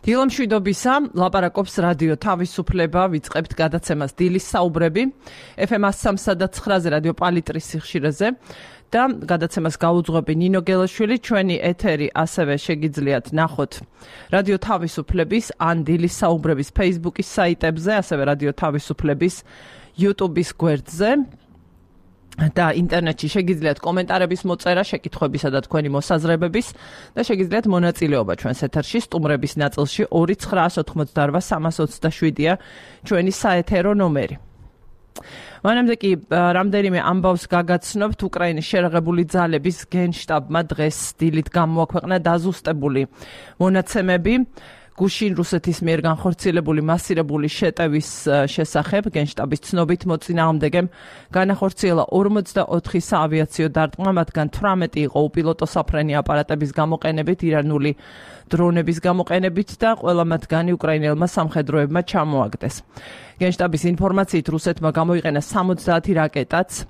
დილამშვიდობისა, ლაპარაკობს რადიო თავისუფლება, ვიწყებთ გადაცემას დილის საუბრები, FM 103-ზე რადიო პალიტრის სიხშირეზე და გადაცემას გაუძღვები ნინო გელაშვილი, ჩვენი ეთერი ასევე შეგიძლიათ ნახოთ რადიო თავისუფლების ან დილის საუბრების Facebook-ის საიტებზე, ასევე რადიო თავისუფლების YouTube-ის გვერდზე. და ინტერნეტში შეგიძლიათ კომენტარების მოწერა, შეკითხვებისა და თქვენი მოსაზრებების და შეგიძლიათ მონაწილეობა ჩვენს ეთერში სტუმრების ნაწილში 2-988-327-ია ჩვენი საეთერო ნომერი. მანამდე კი რამდენიმე ამბავს გაგაცნობთ. უკრაინის შერაღებული ძალების გენშტაბმა დღეს დილით გამოაქვეყნა დაზუსტებული მონაცემები გუშინ რუსეთის მიერ განხორციელებული მასირებული შეტევის შესახებ. გენშტაბის ცნობით მოწინააღმდეგემ განახორციელა 44 საავიაციო დარტყმა, მათგან 18 იყო უპილოტო საფრენი აპარატების გამოყენებით, ირანული დრონების გამოყენებით და ყველა მათგანი უკრაინელმა სამხედროებმა ჩამოაგდეს. გენშტაბის ინფორმაციით რუსეთმა გამოიყენა 70 რაკეტაც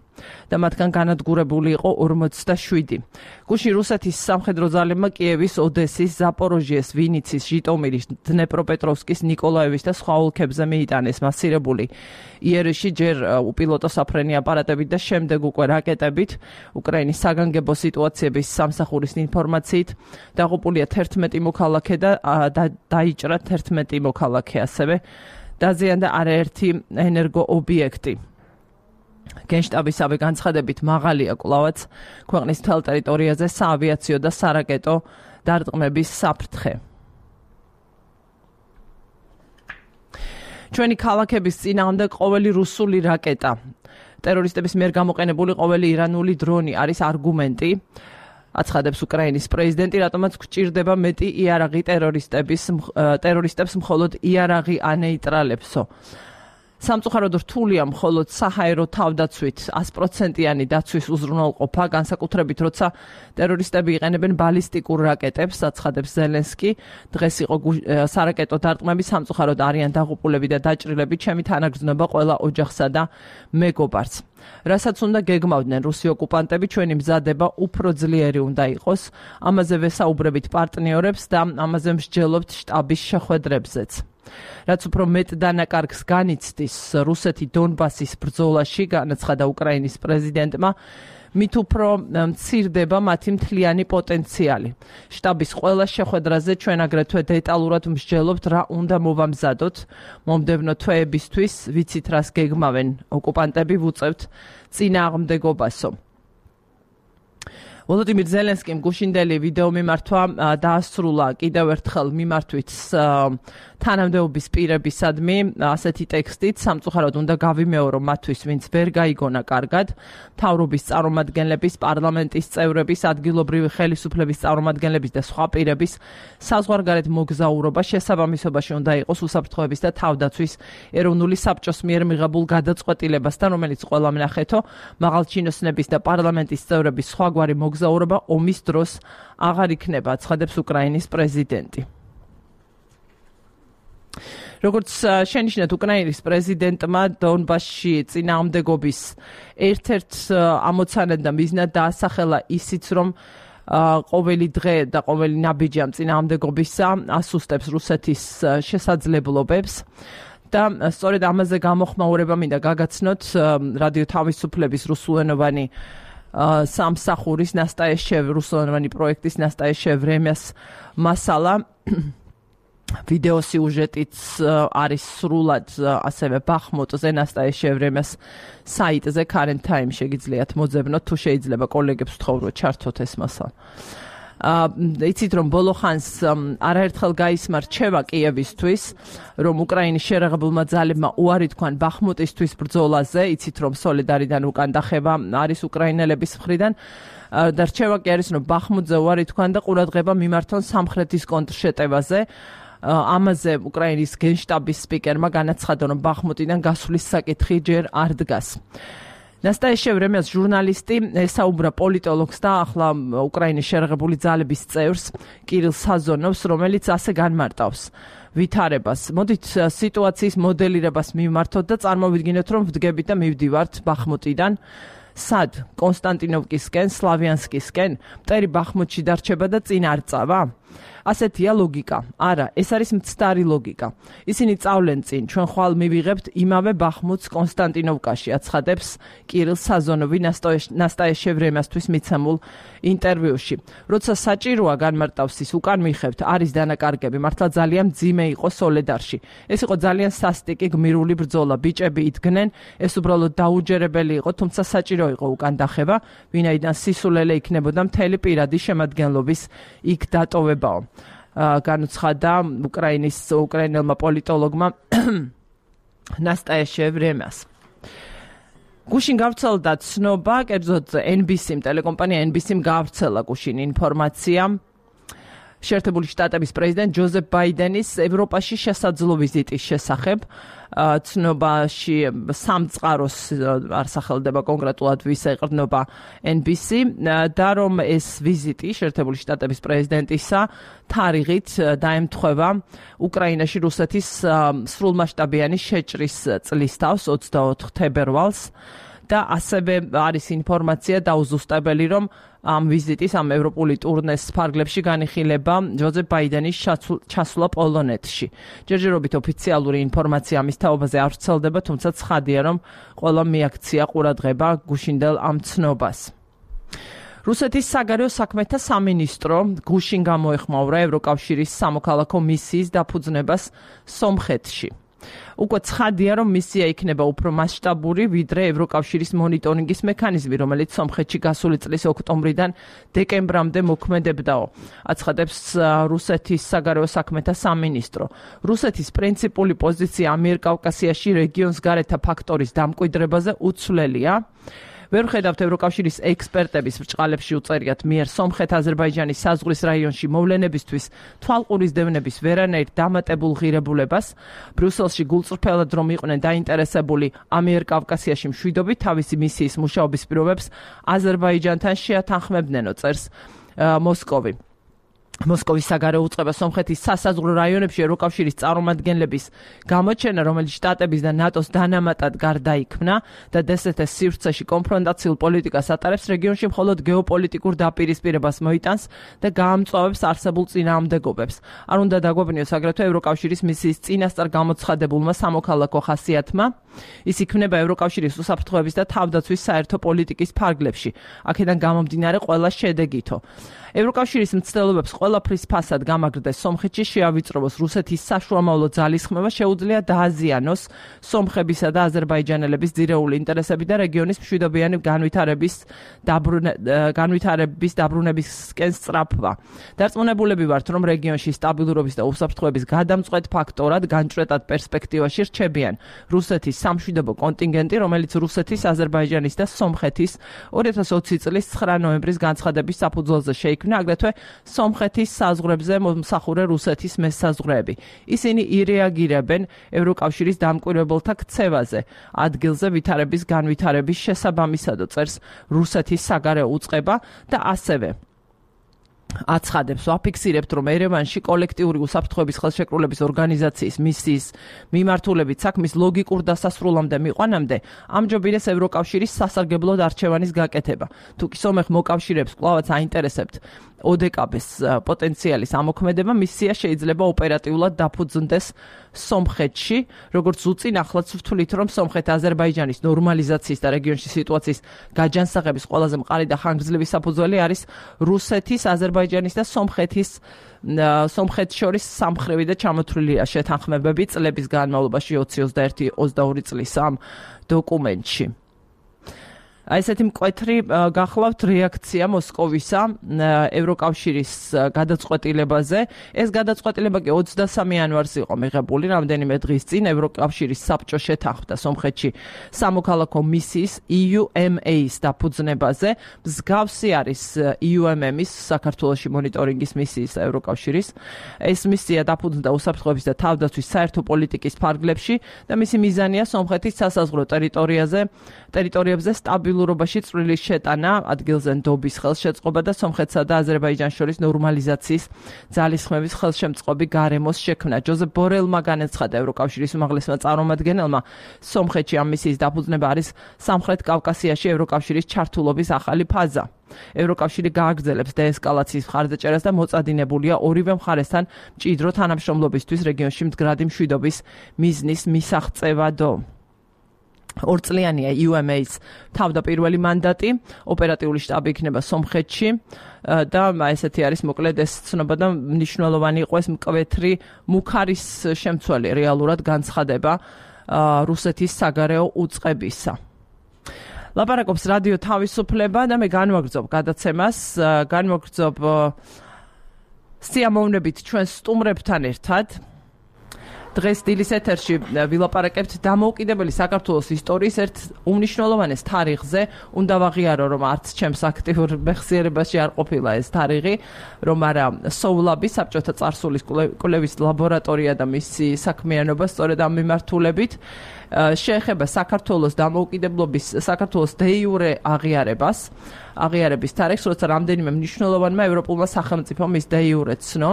და მათგან განადგურებული იყო 47. გუშინ რუსეთის სამხედრო ძალებმა კიევის, ოდესის, ზაპოროჟიეს, ვინიცის, ჟიტომირის, დნეპროპეტროვსკის, ნიკოლაევის და სხვა ოლქებზე მიიტანეს მასირებული იერიში ჯერ უპილოტო საფრენი აპარატებით და შემდეგ უკვე რაკეტებით. უკრაინის საგანგებო სიტუაციების სამსახურის ინფორმაციით დაღუპულია 11 მოქალაქე და დაიჭრა 11 მოქალაქე, ასევე დაზიანდა არაერთი ენერგო ობიექტი. გენშტაბისავე განცხადებით მაღალია კვლავაც ქვეყნის მთელ ტერიტორიაზე საავიაციო და სარაკეტო დარტყმების საფრთხე. ჩვენი ქალაქების წინააღმდეგ ყოველი რუსული რაკეტა, ტერორისტების მიერ გამოყენებული ყოველი ირანული დრონი არის არგუმენტი, აცხადებს უკრაინის პრეზიდენტი, რატომაც გვჭირდება მეტი იარაღი ტერორისტებს მხოლოდ იარაღი ანეიტრალებსო. სამწუხაროდ რთულია მხოლოდ საჰაერო თავდაცვით 100%-იანი დაცვის უზრუნველყოფა, განსაკუთრებით როცა ტერორისტები იყენებენ ბალისტიკურ რაკეტებს, აცხადებს ზელენსკი. დღეს იყო სარაკეტო დარტყმები, სამწუხაროდ არიან დაღუპულები და დაჭრილები, ჩემი თანაგრძნობა ყველა ოჯახსა და მეგობარს. რასაც უნდა გეგმავდნენ რუსი ოკუპანტები, ჩვენი მზადება უფრო ძლიერი უნდა იყოს. ამაზე ვესაუბრებით პარტნიორებს და ამაზე მსჯელობთ შტაბის შეხვედრებზეც. რაც უფრო მეტ დანაკარგს განიცდის რუსეთი დონბასის ბრძოლაში, განაცხადა უკრაინის პრეზიდენტმა, მით უფრო მცირდება მათი მთლიანი პოტენციალი. შტაბის ყველა შეხვედრაზე ჩვენ აგრეთვე დეტალურად მსჯელობთ რა უნდა მოვამზადოთ მომდევნო თვეებისთვის, ვიცით რას გეგმავენ ოკუპანტები, ვუწევთ წინააღმდეგობასო. ვოლოდიმირ ზელენსკიმ გუშინდელი ვიდეო მიმართვა დაასრულა კიდევ ერთხელ მიმართვით თანამდებობის პირებისადმი ასეთი ტექსტით, სამწუხაროდ უნდა გავიმეორო მათთვის, ვინც ვერ გაიგონა კარგად, მთავრობის წარმომადგენლების, პარლამენტის წევრების, ადგილობრივი ხელისუფლების წარმომადგენლების და სხვა პირების საზღვარგარეთ მოგზაურობა შესაბამისობაში უნდა იყოს უსაფრთხოების და თავდაცვის ეროვნული საბჭოს მიერ მიღებულ გადაწყვეტილებასთან, რომელიც ყველამ ნახეთო, მაღალჩინოსნების და პარლამენტის წევრების სხვაგვარი მოგზაურობა ომის დროს აღარ იქნება, აცხადებს უკრაინის პრეზიდენტი. როგორც შენიშნეთ, უკრაინის პრეზიდენტმა დონბასში წინააღმდეგობის ერთ-ერთ ამოცანად და მიზნად დაასახელა ისიც, რომ ყოველი დღე და ყოველი ნაბიჯი ამ წინააღმდეგობისა ასუსტებს რუსეთის შესაძლებლობებს. და სწორედ ამაზე გამოხმაურება მინდა გაგაცნოთ რადიო თავისუფლების რუსულენოვანი სამსახურის ნასტაეშევ რუსულენოვანი პროექტის ნასტაეშევ რემეს მასალა. ვიდეო სიუჟეტიც არის სრულად ასევე ბახმუტზე ნასტაეშევ რემეს საიტზე Current Time შეგიძლიათ მოძებნოთ, თუ შეიძლება კოლეგებს ვთხოვოთ ჩართოთ ეს მასალა. იცით რომ ბოლო ხანს არაერთხელ გაისმა რჩევა კიევისთვის, რომ უკრაინის შერაღებულმა ძალებმა უარი თქვან ბახმუტისთვის ბრძოლაზე, იცით რომ სოლედარიდან უკან დახევა არის უკრაინელების მხრიდან და რჩევა კი არის რომ ბახმუტზე უარი თქვან და ყურადღება მიმართონ სამხრეთის კონტრშეტევაზე. ამაზე უკრაინის გენშტაბის სპიკერმა განაცხადა, რომ ბახმუტიდან გასვლის საკითხი ჯერ არ დგას. ნასტაეშევ რემეს ჟურნალისტი ესაუბრა პოლიტოლოგს და ახლა უკრაინის შერაღებული ძალების წევრს კირილ საზონოვს, რომელიც ასე განმარტავს ვითარებას. მოდით სიტუაციის მოდელირებას მივმართოთ და წარმოვიდგინოთ, რომ ვდგებით და მივდივართ ბახმუტიდან სად? კონსტანტინოვკისკენ, სლავიანსკისკენ, მტერი ბახმუტში დარჩება და წინ არ წავა? ასეთია ლოგიკა. არა, ეს არის მცდარი ლოგიკა. ისინი წავლენ წინ, ჩვენ ხვალ მივიღებთ იმავე ბახმუთს კონსტანტინოვკაში, აცხადებს კირილ საზონოვი ნასტაია ვრემასთვის მიცემულ ინტერვიუში. როცა საჭიროა განმარტავს ის, უკან მიხევთ, არის დანაკარგები, მართლა ძალიან მძიმე იყო სოლედარში. ეს იყო ძალიან სასტიკი გმირული ბრძოლა, ბიჭები იდგნენ, ეს უბრალოდ დაუჯერებელი იყო, თუმცა საჭირო იყო უკან დახევა, ვინაიდან სისულელე იქნებოდა მთელი პირადი შემადგენლობის იქ დატოვებაო. განუცხადა უკრაინელმა პოლიტოლოგმა ნასტაია ვრემას. გუშინ გავრცელდა ცნობა, კერძოდ NBC-მ, ტელეკომპანია NBC-მ გავრცელა გუშინ ინფორმაცია შეერთებული შტატების პრეზიდენტ ჯოზეფ ბაიდენის ევროპაში შესაძლო ვიზიტის შესახებ. ცნობაში სამწყაროს არ სახელდება კონკრეტულად ვის ეყრდნობა NBC და რომ ეს ვიზიტი შეერთებული შტატების პრეზიდენტისა თარიღით დაემთხვევა უკრაინაში რუსეთის სრულმასშტაბიანი შეჭრის წლის თავს 24 თებერვალს და ასევე არის ინფორმაცია დაუზუსტებელი, რომ ამ ვიზიტის, ამ ევროპული ტურნეს ფარგლებში განიხილება ჯოზეფ ბაიდენის ჩასვლა პოლონეთში. ჯერჯერობით ოფიციალური ინფორმაცია ამის თაობაზე არ ვრცელდება, თუმცა ცხადია, რომ ყველა მიაქცია ყურადღება გუშინდელ ამ ცნობას. რუსეთის საგარეო საქმეთა სამინისტრო გუშინ გამოეხმაურა ევროკავშირის სამოქალაქო მისიის დაფუძნებას სომხეთში. უკვე ცხადია, რომ მისია იქნება უფრო მასშტაბური, ვიდრე ევროკავშირის მონიტორინგის მექანიზმი, რომელიც სომხეთში გასული წლის ოქტომბრიდან დეკემბრამდე მოქმედებდაო. აცხადებს რუსეთის საგარეო საქმეთა სამინისტრო. რუსეთის პრინციპული პოზიცია ამიერკავკასიაში რეგიონს გარეთა ფაქტორის დამკვიდრებაზე უცვლელია. ვერ ხედავთ ევროკავშირის ექსპერტების ბრჭყალებში უწერიათ მიერ სომხეთ-აზერბაიჯანის საზღვრის რაიონში მოვლენებისთვის თვალყურის დევნების ვერანაირ დამატებულ ღირებულებას. ბრიუსელში გულწრფელად რომ იყვნენ დაინტერესებული ამიერკავკასიაში მშვიდობით, თავისი მისიის მუშაობის პირობებს აზერბაიჯანთან შეათანხმებდნენო, წერს მოსკოვი. მოსკოვის საგარეო უწყება სომხეთის სასაზღვრო რაიონებში ევროკავშირის წარმომადგენლების გამოჩენა, რომელიც შტატების და ნატოს დანამატად გარდაიქმნა და DST-ს სივრცეში კონფრონტაციულ პოლიტიკას ატარებს, რეგიონში მხოლოდ გეოპოლიტიკურ დაპირისპირებას მოიტანს და გაამწვავებს არსებულ წინააღმდეგობებს. არ უნდა დაგვეუბნიოს აგრეთვე ევროკავშირის მისიის წინასწარ გამოცხადებულმა სამოქალაქო ხასიათმა. ის იქმნება ევროკავშირის უსაფრთხოების და თავდაცვის საერთო პოლიტიკის ფარგლებში. აქედან გამომდინარე ყველა შედეგითო. ევროკავშირის მცდელობებს ყველაფრის ფასად გამაგრდეს სომხეთში შეავიწროვოს რუსეთის საშუალო ძალისხმევა, შეუძლია დააზიანოს სომხებისა და აზერბაიჯანელების ძირეული ინტერესები და რეგიონის მშვიდობიანი განვითარების დაბრუნებისკენ სწრაფვა. დარწმუნებულები ვართ, რომ რეგიონში სტაბილურობის და უსაფრთხოების გადამწყვეტ ფაქტორად განჭვრეტად პერსპექტივაში რჩებიან რუსეთის სამშვიდობო კონტინგენტი, რომელიც რუსეთის, აზერბაიჯანის და სომხეთის 2020 წლის 9 ნოემბრის განცხადების საფუძველზე შეიქმნა, აგრეთვე სომხეთის საზღვრებზე მომსახურე რუსეთის მესაზღვრეები. ისინი ირეაგირებენ ევროკავშირის დამკვირვებელთა ქცევაზე, ადგილზე ვითარების განვითარების შესაბამისად, წერს რუსეთის საგარეო უწყება და ასევე აცხადებს, ვაფიქსირებთ, რომ ერევანში კოლექტიური უსაფრთხოების ხელშეკრულების ორგანიზაციის მისიის მიმართულებით საქმის ლოგიკურ დასასრულამდე მიყვანამდე ამჯობინეს ევროკავშირის სასარგებლოდ არჩევანის გაკეთება. თუკი სომეხ მოკავშირეებს კვლავაც აინტერესებთ ოდეკაბეს პოტენციალის ამოქმედება, მისია შეიძლება ოპერატიულად დაფუძნდეს სომხეთში, როგორც უწინ ახლაც ვთვლით, რომ სომხეთ-აზერბაიჯანის ნორმალიზაციის და რეგიონში სიტუაციის გაჯანსაღების ყველაზე მყარი და ხანგრძლივი საფუძველი არის რუსეთის, აზერბაიჯანის და სომხეთს შორის სამხრივი და ჩამოთვლილი შეთანხმებები წლების განმავლობაში 2021-22 წლის ამ დოკუმენტში. ესეთი მკვეთრი გახლავთ რეაქცია მოსკოვისა ევროკავშირის გადაწყვეტილებაზე. ეს გადაწყვეტილება კი 23 იანვარს იყო მიღებული, რამდენიმე დღის წინ ევროკავშირის საბჭო შეთანხმდა სომხეთში სამოქალაქო მისიის EUMA-ის დაფუძნებაზე. მსგავსი არის EUMM-ის საქართველოში მონიტორინგის მისიის ევროკავშირის. ეს მისია დაფუძნდა უსაფრთხოების და თავდაცვის საერთო პოლიტიკის ფარგლებში და მისი მიზანია სომხეთის სასაზღვრო ტერიტორიებზე სტაბილურობა სტაბილურობაში წვრილი შეტანა, ადგილზე ნდობის ხელშეწყობა და სომხეთსა და აზერბაიჯანს შორის ნორმალიზაციის ძალისხმევის ხელშემწყობი გარემოს შექმნა. ჯოზეფ ბორელმა განაცხადა ევროკავშირის უმაღლესმა წარმომადგენელმა, სომხეთში ამ მისიის დაფუძნება არის სამხრეთ კავკასიაში ევროკავშირის ჩართულობის ახალი ფაზა. ევროკავშირი გააგრძელებს დეესკალაციის მხარდაჭერას და მოწადინებულია ორივე მხარესთან მჭიდრო თანამშრომლობისთვის რეგიონში მდგრადი მშვიდობის მიზნის მისაღწევადო. ორწლიანია UMA-ს თავდაპირველი მანდატი, ოპერატიული შტაბი იქნება სომხეთში და ესეთი არის მოკლედ ეს ცნობა და მნიშვნელოვანი იყო ეს მკვეთრი მუქარის შემცველი რეალურად განცხადება რუსეთის საგარეო უწყებისა. ლაპარაკობს რადიო თავისუფლება და მე განვაგრძობ გადაცემას, განვაგრძობ სიამოვნებით ჩვენ სტუმრებთან ერთად. დღეს დილის ეთერში ვილაპარაკებთ დამოუკიდებელი საქართველოს ისტორიის ერთ უმნიშვნელოვანეს თარიღზე. უნდა ვაღიარო, რომ არც ჩემს აქტიურ მეხსიერებაში არ ყოფილა ეს თარიღი, რომ არა SOULAB-ი, საბჭოთა წარსულის კვლევის ლაბორატორია და მისი საქმიანობა სწორედ ამ მიმართულებით შეეხება საქართველოს დამოუკიდებლობის, საქართველოს de jure აღიარების თარიღს, როცა რამდენიმე მნიშვნელოვანმა ევროპულმა სახელმწიფომ ის de jure ცნო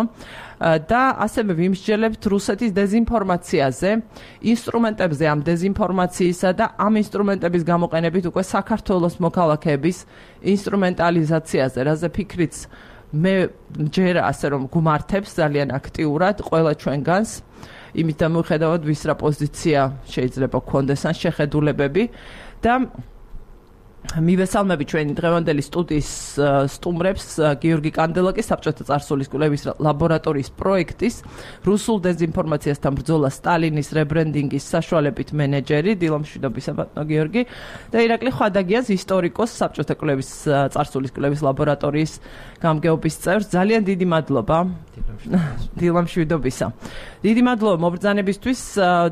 და ასევე ვიმსჯელებთ რუსეთის დეზინფორმაციაზე, ინსტრუმენტებზე ამ დეზინფორმაციისა და ამ ინსტრუმენტების გამოყენებით უკვე საქართველოს მოქალაქეების ინსტრუმენტალიზაციაზე, რაზე ფიქრიც მე ჯერ ასე რომ გუმართებს ძალიან აქტიურად ყველა ჩვენგანს. იმით დამოუხედავად ვის რა პოზიცია შეიძლება გქონდეს ან შეხედულებები და მივესალმები ჩვენი დღევანდელი სტუდიის სტუმრებს გიორგი კანდელაკის საბჭოთა წარსულის კვლევის ლაბორატორიის პროექტის რუსულ დეზინფორმაციასთან ბრძოლა სტალინის რებრენდინგის საშუალებით მენეჯერი დილამშვიდობისა ბატონო გიორგი და ირაკლი ხვადაგიანს ისტორიკოს საბჭოთა კვლევის წარსულის კვლევის ლაბორატორიის გამგეობის წევრს ძალიან დიდი მადლობა დილამშვიდობისა დიდი მადლობა მობრძანებისთვის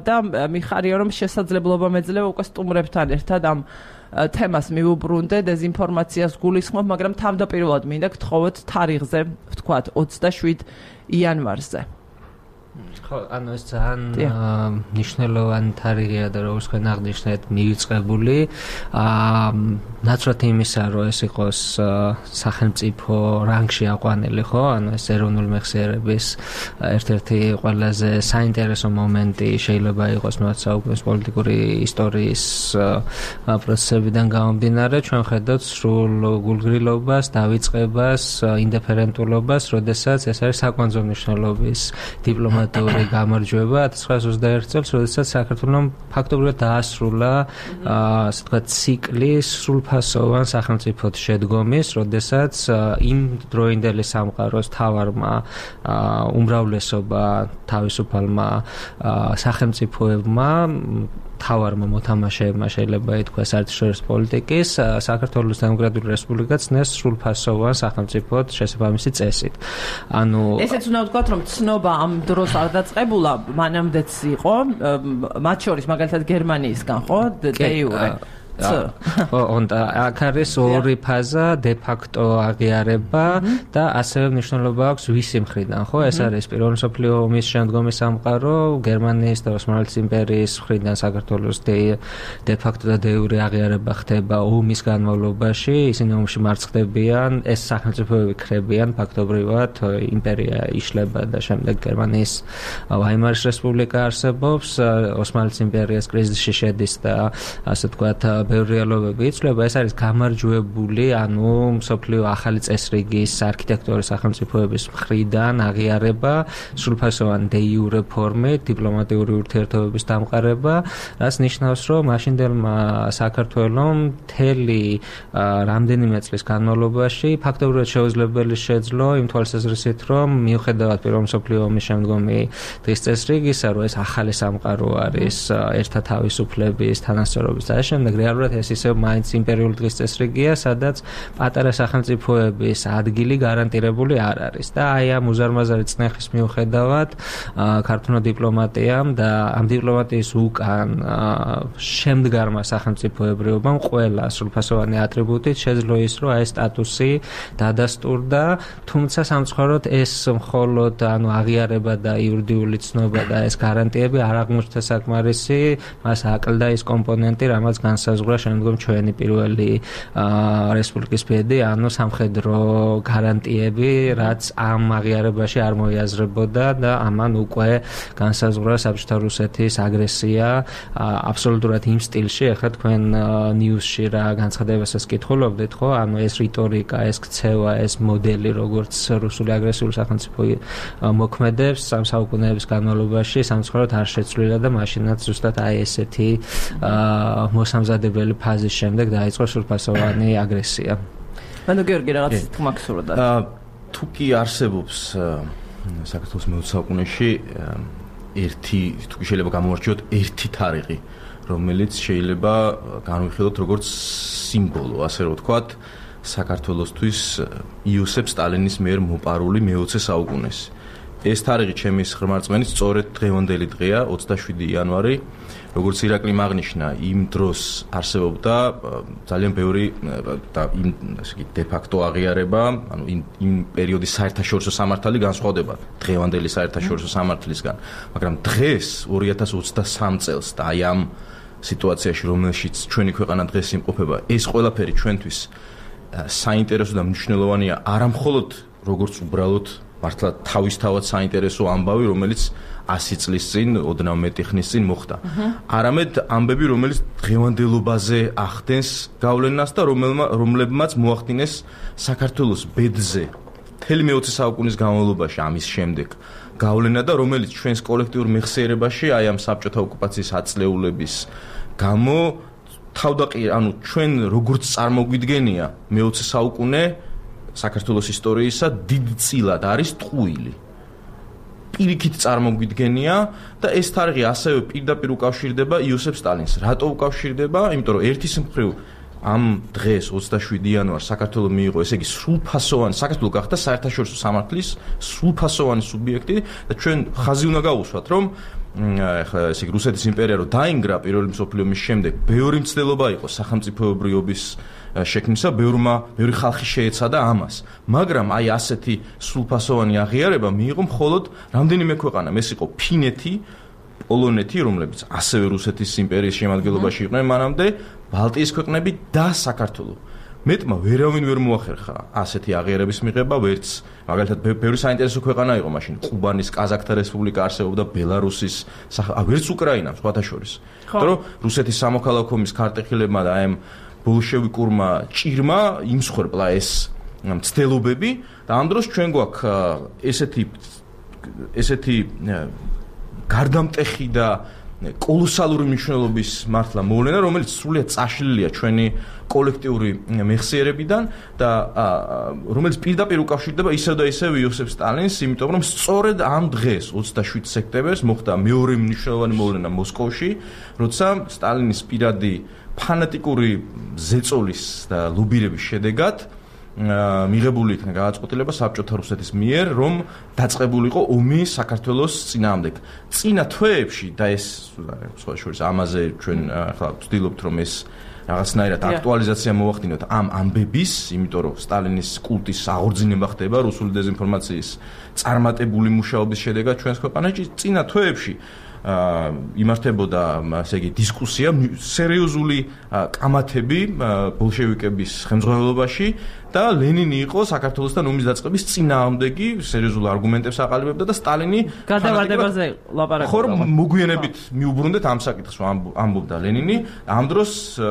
და მიხარია რომ შესაძლებლობა მეძლევა უკვე სტუმრებთან ერთად ამ თემას მივუბრუნდე დეზინფორმაციას გულისხმობ, მაგრამ თავდაპირველად მინდა გთხოვოთ თარიღზე, ვთქვათ 27 იანვარზე. ხო, ანუ ეს ძალიან მნიშვნელოვანი თარიღია და როგორც თქვენ აღნიშნეთ, მივიწყებული. ნაცვლად იმისა, რომ ეს იყოს სახელმწიფო რანგში აყვანილი, ხო? ანუ ეს ეროვნული მეხსიერების ერთ-ერთი ყველაზე საინტერესო მომენტი შეიძლება იყოს მათ საუკუნის პოლიტიკური ისტორიის პროცესებიდან გამომდინარე, ჩვენ ხედავთ სრულ გულგრილობას, დავიწყებას, ინდიფერენტულობას, როდესაც ეს არის საკვანძო მნიშვნელობის დიპლომატიური გამარჯვება 1921 წელს, როდესაც საქართველომ ფაქტობრივად დაასრულა ასე ვთქვათ ციკლი სრულფასოვან სახელმწიფოდ შედგომის, როდესაც იმ დროინდელი სამყაროს თავარმა უმრავლესობა თავისუფალმა სახელმწიფოებმა თავარმა მოთამაშეებმა შეიძლება ითქვას საერთაშორისო პოლიტიკის საქართველოს დემოკრატიული რესპუბლიკაც ნეს სრულფასოვან სახელმწიფოდ შესაბამისი წესით. ანუ ესეც უნდა ვთქვათ, რომ ცნობა ამ დროს არ დაწყებულა, მანამდეც იყო, მათ შორის მაგალითად გერმანიისგან, ხო? de jure. აქ არის ორი ფაზა, de facto აღიარება და ასევე მნიშვნელობა აქვს ვისი მხრიდან, ხო? ეს არის პირველი მსოფლიო ომის შემდგომი სამყარო, გერმანიის და ოსმალეთის იმპერიის მხრიდან საქართველოს de facto და de jure აღიარება ხდება ომის განმავლობაში, ისინი ომში მარცხდებიან, ეს სახელმწიფოები ქრებიან, ფაქტობრივად იმპერია იშლება და შემდეგ გერმანიის ვაიმარის რესპუბლიკა არსებობს, ოსმალეთის იმპერიას კრიზისში შედის და ასე ვთქვათ ბევრი რეალობები იცვლება, ეს არის გამარჯვებული, ანუ მსოფლიო ახალი წესრიგის არქიტექტურის სახელმწიფოების მხრიდან აღიარება, სრულფასოვანი de jure ფორმით, დიპლომატიური ურთიერთობების დამყარება, რაც ნიშნავს, რომ მაშინდელმა საქართველომ მთელი რამდენიმე წლის განმავლობაში ფაქტობრივად შეუძლებელი შეძლო იმ თვალსაზრისით, რომ მიუხედავად პირველ მსოფლიო ომის შემდგომი დღის წესრიგისა, რომ ეს ახალი სამყარო არის ერთა თავისუფლების, თანასწორობის და შემდეგ რეალურად ეს ისევ მაინც იმპერიული დღის წესრიგია, სადაც პატარა სახელმწიფოების ადგილი გარანტირებული არ არის და აი ამ უზარმაზარი წნეხის მიუხედავად ქართულმა დიპლომატიამ და ამ დიპლომატიის უკან შემდგარმა სახელმწიფოებრიობამ ყველა სრულფასოვანი ატრიბუტით შეძლო ის, რომ აი სტატუსი დადასტურდა, თუმცა სამწუხაროდ ეს მხოლოდ ანუ აღიარება და იურიდიული ცნობა და ეს გარანტიები არ აღმოჩნდა საკმარისი, მას აკლდა ის კომპონენტი, რამაც განსაზღვრა განსაზღვრა შემდგომ ჩვენი პირველი რესპუბლიკის ბედი, ანუ სამხედრო გარანტიები, რაც ამ აღიარებაში არ მოიაზრებოდა და ამან უკვე განსაზღვრა საბჭოთა რუსეთის აგრესია აბსოლუტურად იმ სტილში, ახლა თქვენ ნიუსში რა განცხადებასაც კითხულობდით, ხო? ანუ ეს რიტორიკა, ეს ქცევა, ეს მოდელი, როგორც რუსული აგრესიული სახელმწიფო მოქმედებს სამ საუკუნეების განმავლობაში, სამწუხაროდ არ შეცვლილა და მაშინაც ზუსტად აი ესეთი მოსამზადებელი ფაზის შემდეგ დაიწყო სრულფასოვანი აგრესია. ანუ გიორგი რაღაც თქმა გსურდა. თუ კი არსებობს საქართველოს მე-20 საუკუნეში თუ შეიძლება გამოვარჩიოთ ერთი თარიღი, რომელიც შეიძლება განვიხილოთ როგორც სიმბოლო, ასე რომ ვთქვათ, საქართველოსთვის იოსებ სტალინის მიერ მოპარული მე-20 საუკუნეს. ეს თარიღი ჩემის ხმარწმენით სწორედ დღევანდელი დღეა, 27 იანვარი, როგორც ირაკლი აღნიშნა, იმ დროს არსებობდა ძალიან ბევრი და დე ფაქტო აღიარება, ანუ იმ პერიოდის საერთაშორისო სამართალი განსხვავდება დღევანდელი საერთაშორისო სამართლისგან, მაგრამ დღეს 2023 წელს და აი ამ სიტუაციაში, რომელშიც ჩვენი ქვეყანა დღეს იმყოფება, ეს ყველაფერი ჩვენთვის საინტერესო და მნიშვნელოვანია, არა მხოლოდ როგორც უბრალოდ მართლა თავისთავად საინტერესო ამბავი, რომელიც 100 წლის წინ, ოდნავ მეტი ხნის წინ მოხდა. არამედ ამბები, რომელიც დღევანდელობაზე ახდენს გავლენას და რომლებმაც მოახდინეს საქართველოს ბედზე მთელი მე-20 საუკუნის განმავლობაში ამის შემდეგ გავლენა და რომელიც ჩვენს კოლექტიურ მეხსიერებაში აი ამ საბჭოთა ოკუპაციის აწლეულების გამო ანუ ჩვენ როგორც წარმოგვიდგენია მე-20 საუკუნე საქართველოს ისტორიისა დიდ წილად არის ტყუილი. პირიქით წარმოგვიდგენია და ეს თარიღი ასევე პირდაპირ უკავშირდება იოსებ სტალინს. რატო უკავშირდება? იმიტომ რომ ერთის მხრივ ამ დღეს 27 იანვარს საქართველოს მიიღო, ესე იგი სრულფასოვანი საქართველოს გახდა საერთაშორისო სამართლის სრულფასოვანი სუბიექტი და ჩვენ ხაზი უნდა გავუსვათ, რომ ახლა ესე იგი რუსეთის იმპერია რო დაინგრა პირველი მსოფლიო ომის შემდეგ, ბევრი მცდელობა იყო სახელმწიფოებრიობის შექმნისა, ბევრი ხალხი შეეცადა ამას. მაგრამ აი ასეთი სრულფასოვანი აღიარება მიიღო მხოლოდ რამდენიმე ქვეყანამ. ეს იყო ფინეთი, პოლონეთი, რომლებიც ასევე რუსეთის იმპერიის შემადგენლობაში იყვნენ მანამდე, ბალტიის ქვეყნები და საქართველო. მეტმა ვერავინ ვერ მოახერხა ასეთი აღიარების მიღება, ვერც მაგალითად ბევრი საინტერესო ქვეყანა იყო მაშინ, ყუბანის კაზაკთა რესპუბლიკა არსებობდა, ბელარუსის, ვერც უკრაინა, სხვათა შორის. იმიტომ რომ რუსეთის სამოქალაქო ომის ქარტეხილებმა და აი ბოლშევიკურმა ჭირმა იმსხვერპლა ეს მცდელობები და ამ დროს ჩვენ გვაქვს ესეთი გარდამტეხი და კოლოსალური მნიშვნელობის მართლა მოვლენა, რომელიც სრულიად წაშლილია ჩვენი კოლექტიური მეხსიერებიდან და რომელიც პირდაპირ უკავშირდება ისევ და ისევ იოსებ სტალინს, იმიტომ რომ სწორედ ამ დღეს 27 სექტემბერს მოხდა მეორე მნიშვნელოვანი მოვლენა მოსკოვში, როცა სტალინის პირადი ფანატიკური ზეწოლის და ლობირების შედეგად მიღებული იქნა გადაწყვეტილება საბჭოთა რუსეთის მიერ, რომ დაწყებულიყო ომი საქართველოს წინააღმდეგ. წინა თვეებში და ეს სხვა შორის ამაზე ჩვენ ახლა ვცდილობთ, რომ ეს რაღაცნაირად აქტუალიზაცია მოვახდინოთ ამ ამბების, იმიტომ რომ სტალინის კულტის აღორძინება ხდება რუსული დეზინფორმაციის წარმატებული მუშაობის შედეგად ჩვენს ქვეყანაში. წინა თვეებში იმართებოდა, ასე იგი, დისკუსია, სერიოზული კამათები ბოლშევიკების ხელმძღვანელობაში და ლენინი იყო საქართველოსთან ომის დაწყების წინააღმდეგი, სერიოზულ არგუმენტებს აყალიბებდა და სტალინი გადავარდებაზე ლაპარაკობდა. ხო, მოგვიანებით მიუბრუნდეთ ამ საკითხს, ამბობდა ლენინი. ამ დროს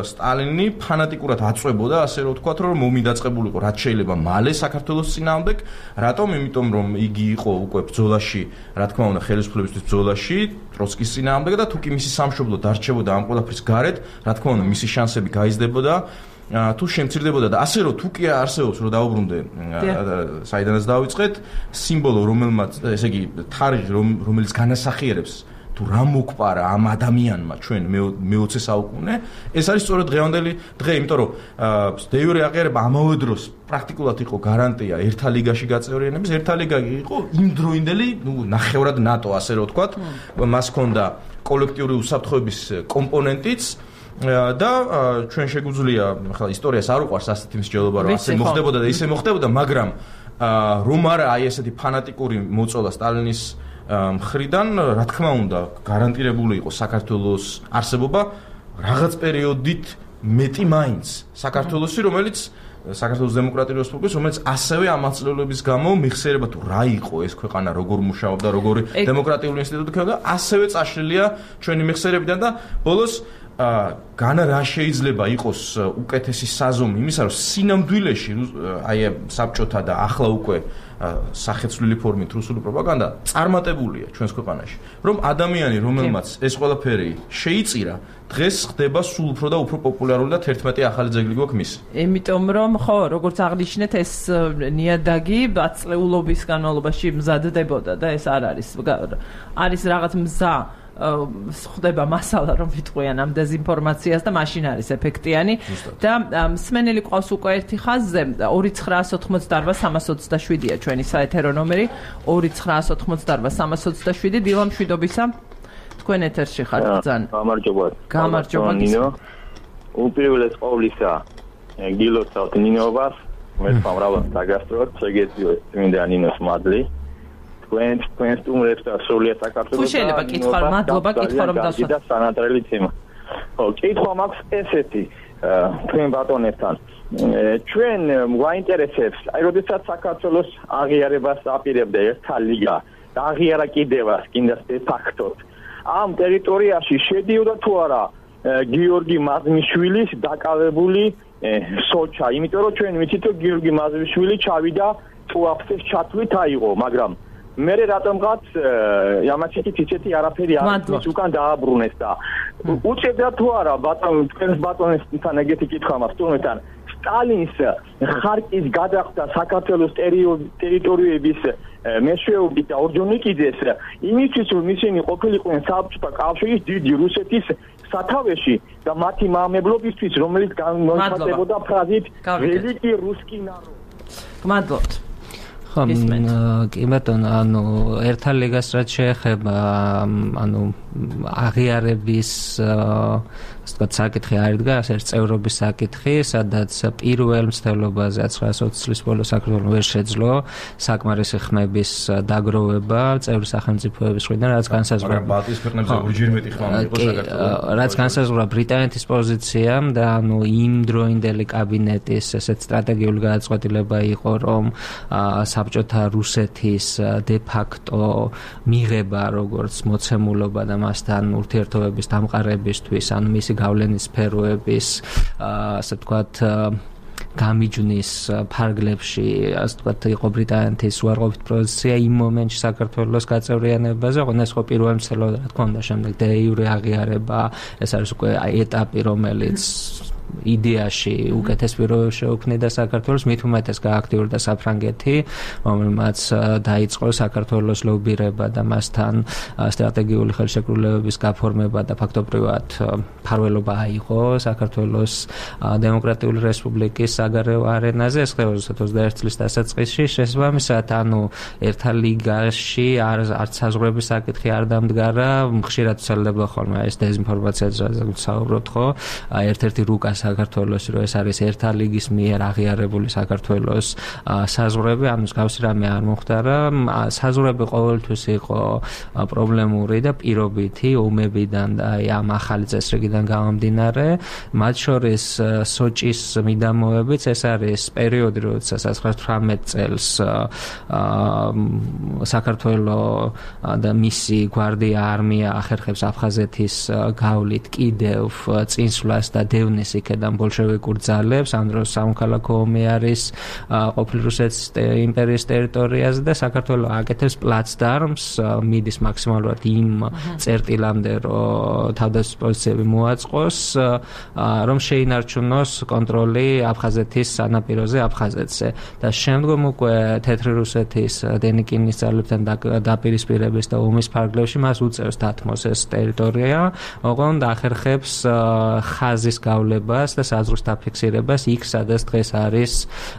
სტალინი ფანატიკურად აწვებოდა, ასე რომ ვთქვათ, რომ ომი დაწყებულიყო რაც შეიძლება მალე საქართველოს წინააღმდეგ. რატომ? იმიტომ რომ იგი იყო უკვე ბრძოლაში, რა თქმა უნდა, ხელისუფლებისთვის ბრძოლაში ტროცკის წინააღმდეგ და თუ კი მისი სამშობლო დარჩებოდა ამ ყველაფრის გარეთ, რა თქმა უნდა, მისი შანსები გაიზრდებოდა. თუ შემცირდებოდა და ასე რომ თუ კი არსებობს რომ დაუბრუნდე საიდანაც დავიწყეთ სიმბოლო რომელმაც ესე იგი თარიღი რომელიც განასახიერებს თუ რა მოგპარა ამ ადამიანმა ჩვენ მე-20 საუკუნე ეს არის სწორედ დღევანდელი დღე იმიტომ რომ დე იურე აღიარება ამავე დროს პრაქტიკულად იყო გარანტია ერთა ლიგაში გაწევრიანების ერთა ლიგა იყო იმდროინდელი ნახევრად ნატო ასე რომ ვთქვათ მას ჰქონდა კოლექტიური უსაფრთხოების კომპონენტიც და ჩვენ შეგვიძლია ახლა ისტორიას არ უყვარს ასეთი მსჯელობა რომ ასე მოხდებოდა და ისე მოხდებოდა მაგრამ რომ არა აი ესეთი ფანატიკური მოწოლა სტალინის მხრიდან რა თქმა უნდა გარანტირებული იყო საქართველოს არსებობა რაღაც პერიოდით მეტი მაინც საქართველოსი, რომელიც საქართველოს დემოკრატიული რესპუბლიკის, რომელიც ასევე ამ აწლევლების გამო მიხსენება თუ რა იყო ეს ქვეყანა, როგორ მუშაობდა, როგორი დემოკრატიული ინსტიტუტი ქონდა, ასევე წაშლილია ჩვენი მიხსენებიდან და ბოლოს განა რა შეიძლება იყოს უკეთესი საზომი იმისა, რომ სინამდვილეში აი საბჭოთა და ახლა უკვე სახეცვლილი ფორმით რუსული პროპაგანდა წარმატებულია ჩვენს ქვეყანაში, რომ ადამიანი, რომელმაც ეს ყველაფერი შეიწირა, დღეს ხდება სულ უფრო და უფრო პოპულარული და 11 ახალი ძეგლი გვაქვს მისი. იმიტომ რომ ხო, როგორც აღნიშნეთ, ეს ნიადაგი აწლეულობის განმავლობაში მზადდებოდა და ეს არ არის რაღაც მზა ხდება მასალა რომ ვიტყვიან ამ დეზინფორმაციას და მაშინ არის ეფექტიანი და მსმენელი ყავს უკვე ერთი ხაზზე 2988-327-ია ჩვენი საეთერო ნომერი 2988-327 დილა მშვიდობისა თქვენ ეთერში ხართ ძალიან გამარჯობა ნინო უპირველეს ყოვლისა გილოცავთ ნინობას მე სამრავალ დაგასწროთ შეგეძლო წმინდა ნინოს მადლი თქვენ სტუმრებს და სრულიად საქართველოს თუ შეიძლება კითხვა მადლობა კითხვა რომ დასვათ და სანატრელი თემა ხო კითხვა მაქვს ესეთი თქვენ ბატონებთან ჩვენ გვაინტერესებს აი როდესაც საქართველოს აღიარებას აპირებდა ერთა ლიგა და აღიარა კიდევაც კიდე ფაქტოდ ამ ტერიტორიაში შედიოდა თუ არა გიორგი მაზმიშვილის დაკავებული სოჩა იმიტომ რომ ჩვენ ვიცით რომ გიორგი მაზმიშვილი ჩავიდა ტუაფსეს ჩათვლით აიღო მაგრამ მე რატომღაც ямაჩიკით ისეთი არაფერი არ ის უკან დააბრუნეს და უწევდა თუ არა ბატონ თქვენს ბატონებთან ეგეთი კითხვა მაქვს თუმცა სტალინს ხარკის გადახდა საქართველოს ტერიტორიების მეშვეობით და ორჯონიკიძეს იმისთვის რომ ისინი ყოფილიყვნენ საბჭოთა კავშირის დიდი რუსეთის სათავეში და მათი მამებლობისთვის რომელიც გამოიხატებოდა ფრაზით ველიკი რუსკი ნაროდ გმადლობთ კი ბატონო ანუ ერთა ლიგას რაც შეეხება ანუ აღიარების ასე ვთქვათ საკითხი არ იდგა ეს წევრობის საკითხი სადაც პირველ მცდელობაზე 1920 წლის ბოლოს საქართველოს ვერ შეძლო საკმარისი ხმების დაგროვება წევრი სახელმწიფოების მხრიდან რაც განსაზღვრა ბალტიის ქვეყნებზე ორჯერ მეტი ხმა მიიღო საქართველოს რაც განსაზღვრა ბრიტანეთის პოზიციამ და ანუ იმ დროინდელი კაბინეტის ესეთ სტრატეგიული გადაწყვეტილება იყო რომ საბჭოთა რუსეთის de facto მიღება როგორც მოცემულობა და მასთან ურთიერთობების დამყარებისთვის ანუ მისი გავლენის სფეროების ასე ვთქვათ გამიჯვნის ფარგლებში ასე ვთქვათ იყო ბრიტანეთის უარყოფით პოზიცია იმ მომენტში საქართველოს გაწევრიანებაზე ოღონდ ეს ხო პირველ მცდელობა რა თქმა უნდა შემდეგ დე იურე აღიარება ეს არის უკვე ეტაპი რომელიც იდეაში უკეთეს პირობებში შეუქმნიდა საქართველოს მით უმეტეს გააქტიურდა საფრანგეთი რომელმაც დაიწყო საქართველოს ლობირება და მასთან სტრატეგიული ხელშეკრულებების გაფორმება და ფაქტობრივად მფარველობა აიღო საქართველოს დემოკრატიული რესპუბლიკის საგარეო არენაზე ეს ხდება 21 წლის დასაწყისში შესაბამისად ანუ ერთა ლიგაში არც საზღვრების საკითხი არ დამდგარა ხშირად ცელდება ხოლმე ეს დეზინფორმაციაზე საუბრობთ ხო ერთ-ერთი რუკა საქართველოს რომ ეს არის ერთა ლიგის მიერ აღიარებული საქართველოს საზღვრები, ანუ მსგავსი რამე არ მოხდარა. საზღვრები ყოველთვის იყო პრობლემური და პირობითი ომებიდან და ამ ახალი წესრიგიდან გამომდინარე. მათ შორის სოჭის მიდამოებიც ეს არის პერიოდი, როდესაც 1918 წელს საქართველოს და მისი გვარდია არმია ახერხებს აფხაზეთის გავლით კიდევ წინსვლას და დევნის იქედან ბოლშევიკურ ძალებს, ამ დროს სამოქალაქო ომი არის ყოფილი რუსეთის იმპერიის ტერიტორიაზე და საქართველოს აკეთებს პლაცდარმს, მიდის მაქსიმალურად იმ წერტილამდე, რომ თავდაცვის პოზიციები მოაწყოს, რომ შეინარჩუნოს კონტროლი აფხაზეთის სანაპიროზე აფხაზეთზე და შემდგომ უკვე თეთრი რუსეთის დენიკინის ძალებთან დაპირისპირების და ომის ფარგლებში მას უწევს დათმოს ეს ტერიტორია, ოღონდ ახერხებს ხაზის გავლებას და საზღვრის დაფიქსირებას იქ, სადაც დღეს არის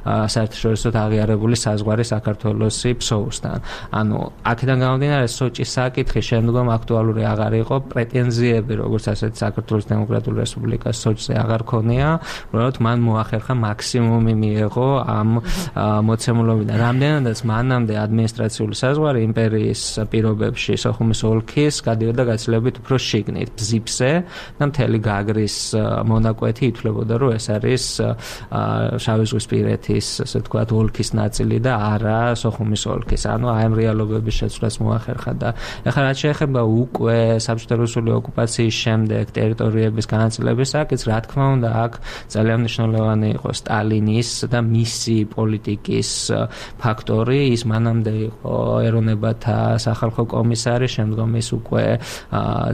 საერთაშორისო აღიარებული საზღვარი საქართველოსი ფსოუსთან. ანუ აქედან გამომდინარე სოჭის საკითხი შემდგომ აქტუალური აღარ იყო, პრეტენზიები როგორც ასეთ საქართველოს დემოკრატიული რესპუბლიკას სოჭზე აღარ ქონია, უბრალოდ მან მოახერხა მაქსიმუმი მიიღო ამ მოცემულობიდან. რამდენადაც მანამდე ადმინისტრაციული საზღვარი იმპერიის პირობებში სოხუმის ოლქის გადიოდა გაცილებით უფრო შიგნით, ბზიფზე და მთელი გაგრის მონაკვეთი ითვლებოდა, რომ ეს არის შავიზღვისპირეთის, ასე ვთქვათ, ოლქის ნაწილი და არა სოხუმის ოლქის. ანუ აი ამ რეალობების შეცვლას მოახერხა და ეხლა რაც შეეხება უკვე საბჭოთა რუსული ოკუპაციის შემდეგ ტერიტორიების განაწილების საკითხს, რა თქმა უნდა, აქ ძალიან მნიშვნელოვანი იყო სტალინის და მისი პოლიტიკის ფაქტორი. ის მანამდე იყო ეროვნებათა სახალხო კომისარი, შემდგომ ის უკვე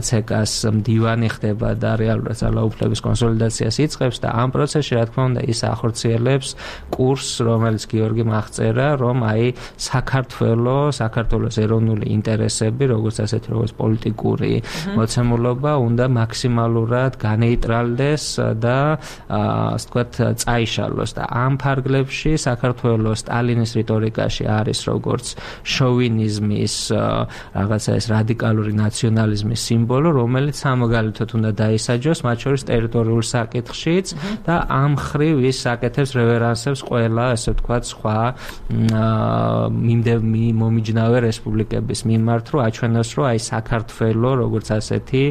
ცეკას მდივანი ხდება და რეალურად ძალაუფლების კონსოლიდაციას იწყებს და ამ პროცესში რა თქმა უნდა ის ახორციელებს კურსს, რომელიც გიორგიმ აღწერა, რომ აი საქართველოს ეროვნული ინტერესები, როგორც ასეთი როგორც პოლიტიკური მოცემულობა უნდა მაქსიმალურად განეიტრალდეს და ასე ვთქვათ წაიშალოს და ამ ფარგლებში საქართველოს სტალინის რიტორიკაში არის როგორც შოვინიზმის რაღაცა ეს რადიკალური ნაციონალიზმის სიმბოლო, რომელიც სამოგალითოდ უნდა დაისაჯოს, მათ შორის ტერიტორიულ საკითხშიც და ამ მხრივ ის აკეთებს რევერანსებს ყველა, ასე ვთქვათ, სხვა მომიჯნავე რესპუბლიკების მიმართ, რომ აჩვენოს, რომ აი საქართველო როგორც ასეთი